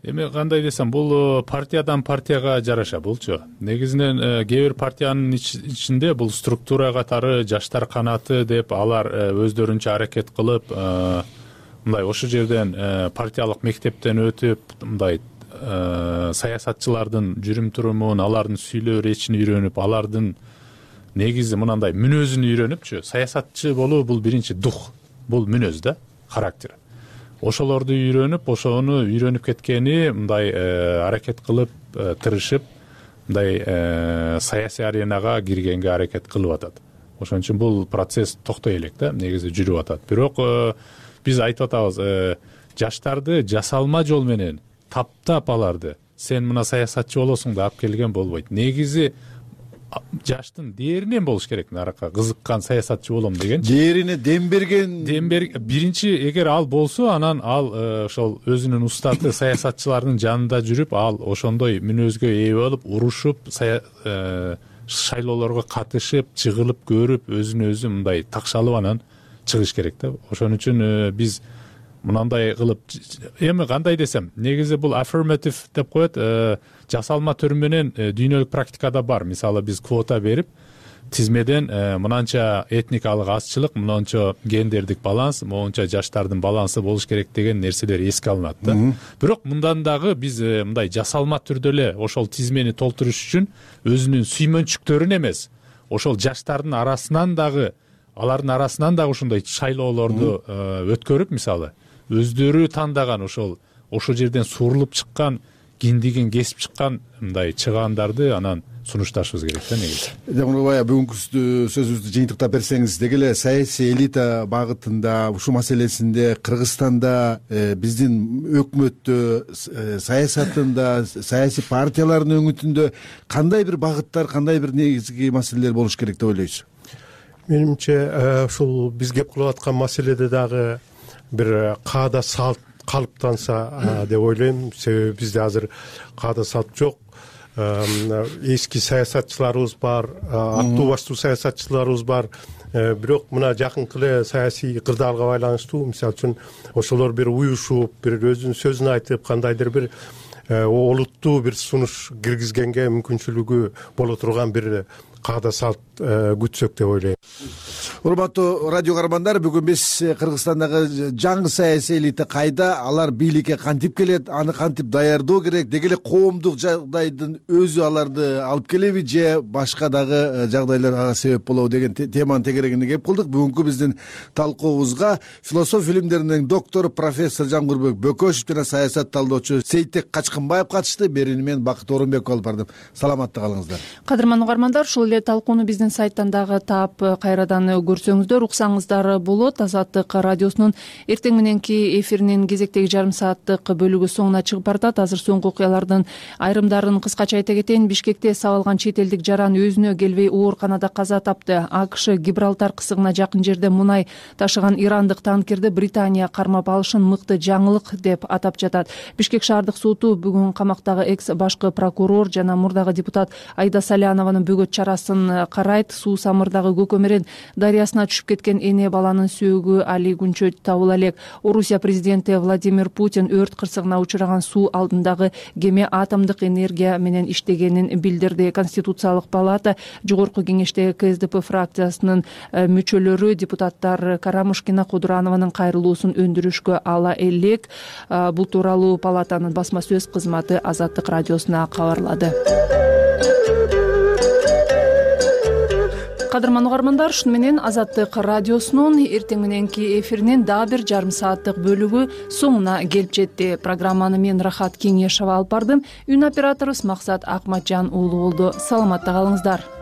Эми кандай десем, бул партиядан партияга жараша болчу. Негизинен кээ бир партиянын ичинде бул структура катары жаштар канаты деп алар өздөрүнчө аракет кылып, мындай ошол жерден партиялык мектептен өтүп, мындай саясатчылардын жүрүм-турумун, алардын сүйлөө речин үйрөнүп, алардын негизи мындай мүнөзүн үйрөнүпчү. Саясатчы болуу бул биринчи дух, бул мүнөз да, характер. Ошолорду үйрөнүп, ошону үйрөнүп кеткени мындай аракет кылып, тырышып, мындай саясий аренага киргенге аракет кылып атат. Ошон үчүн бул процесс токтой элек да, негизи жүрүп атат. Бирок биз айтып атабыз, жаштарды жасалма жол менен таптап аларды, сен мына саясатчы болосуң да алып келген болбойт. Негизи жаштын дээринен болуш керек, наракка кызыккан саясатчы болом деген. Дээрине дем берген. Биринчи эгер ал болсо, анан ал ошол өзүнүн устаты саясатчылардын жанында жүрүп, ал ошондой мүнөзгө ээ болуп, урушуп, шайлоолорго катышып, чыгылып көрүп, өзүн өзү мындай такшалып анан чыгыш керек да. Ошон үчүн биз мынандай кылып, эми кандай десем, негизи бул affirmative деп коет, жасалма түрү менен дүйнөлүк практикада бар. Мисалы биз квота берип, тизмеден мынанча этникалык азчылык, мынанча гендердик баланс, моунча жаштардын балансы болуш керек деген нерселер эске алынат да. Бирок мындан дагы биз мындай жасалма түрдө эле ошол тизмени толтуруш үчүн өзүнүн сүймөнчүктөрүн эмес, ошол жаштардын арасынан дагы, алардын арасынан дагы ушундай шайлоолорду өткөрүп, мисалы өздөрү тандаган ошол жерден сурулуп чыккан, киндигин кесип чыккан мындай чыгаандарды анан сунушташыбыз керек да негизи. Баягы бүгүнкү сөзүбүздү жыйынтыктап берсеңиз, деги эле саясий элита багытында, ушул маселесинде Кыргызстанда биздин өкмөттө, саясатында, саясий партиялардын өңүтүндө кандай бир багыттар, кандай бир негизги маселелер болуш керек деп ойлойсуз? Менимче ушул биз кеп кылып аткан маселеде дагы бир каада салт калыптанса деп ойлойм. Себеби бизде азыр каада салт жок. Эски саясатчыларыбыз бар, аттуу баштуу саясатчыларыбыз бар. Бирок мына жакынкы эле саясий кырдаалга байланыштуу, мисалы үчүн ошолор бир уюшуп, бир өзүнүн сөзүн айтып, кандайдыр бир олуттуу бир сунуш киргизгенге мүмкүнчүлүгү боло турган бир каада салт күтсөк деп ойлойм. Урматтуу радио каармандар, бүгүн биз Кыргызстандагы жаңы саясий элита кайда, алар бийликке кантип келет, аны кантип даярдоо керек, деги эле коомдук жагдайдын өзү аларды алып келеби же башка дагы жагдайлар ага себеп болобу деген теманын тегерегине кеп кылдык. Бүгүнкү биздин талкуубузга философия илимдеринин доктору профессор Жангурбек Бөкөшев жана саясат талдоочу Сейтек Качкынбаев катышты. Берүүнү мен Бакыт Орунбеков алып бардым. Саламатта калыңыздар. Кадырман угармандар, ушул эле талкууну биздин сайттан дагы таап, кайрадан көрсөңүздөр уксаңыздар болот. Азаттык радиосунун эртең мененки эфиринин кезектеги жарым сааттык бөлүгү соңуна чыгып баратат. Азыр соңку окуялардын айрымдарын кыскача айта кетейин. Бишкекте сабалган чет элдик жаран өзүнө келбей ооруканада каза тапты. АКШ Гибралтар кысыгына жакын жерде мунай ташыган ирандык танкерди Британия кармап алышын мыкты жаңылык деп атап жатат. Бишкек шаардык соту бүгүн камактагы экс башкы прокурор жана мурдагы депутат Айда Салянованын бөгөт чарасын карайт. Суу Самырдагы Көкөмөрөн дарыясына түшүп кеткен эне баланын сөөгү али күнчө табыла элек. Орусия президенти Владимир Путин өрт кырсыгына учураган суу алдындагы кеме атомдук энергия менен иштегенин билдирди. Конституциялык палата жогорку кеңештеги КСДП фракциясынын мүчөлөрү депутаттар Карамушкина, Кудуранованын кайрылуусун өндүрүшкө ала элек. Бул тууралуу палатанын басма сөз кызматы Азаттык радиосуна кабарлады. Кадырман угармандар, шуну менен Азаттык радиосунун эртең мененки эфиринин дагы бир жарым сааттык бөлүгү соңуна келип жетти. Программаны мен Рахат Кеңешова алып бардым. Үн операторубуз Максат Акматжан уулу болду. Саламатта калыңыздар.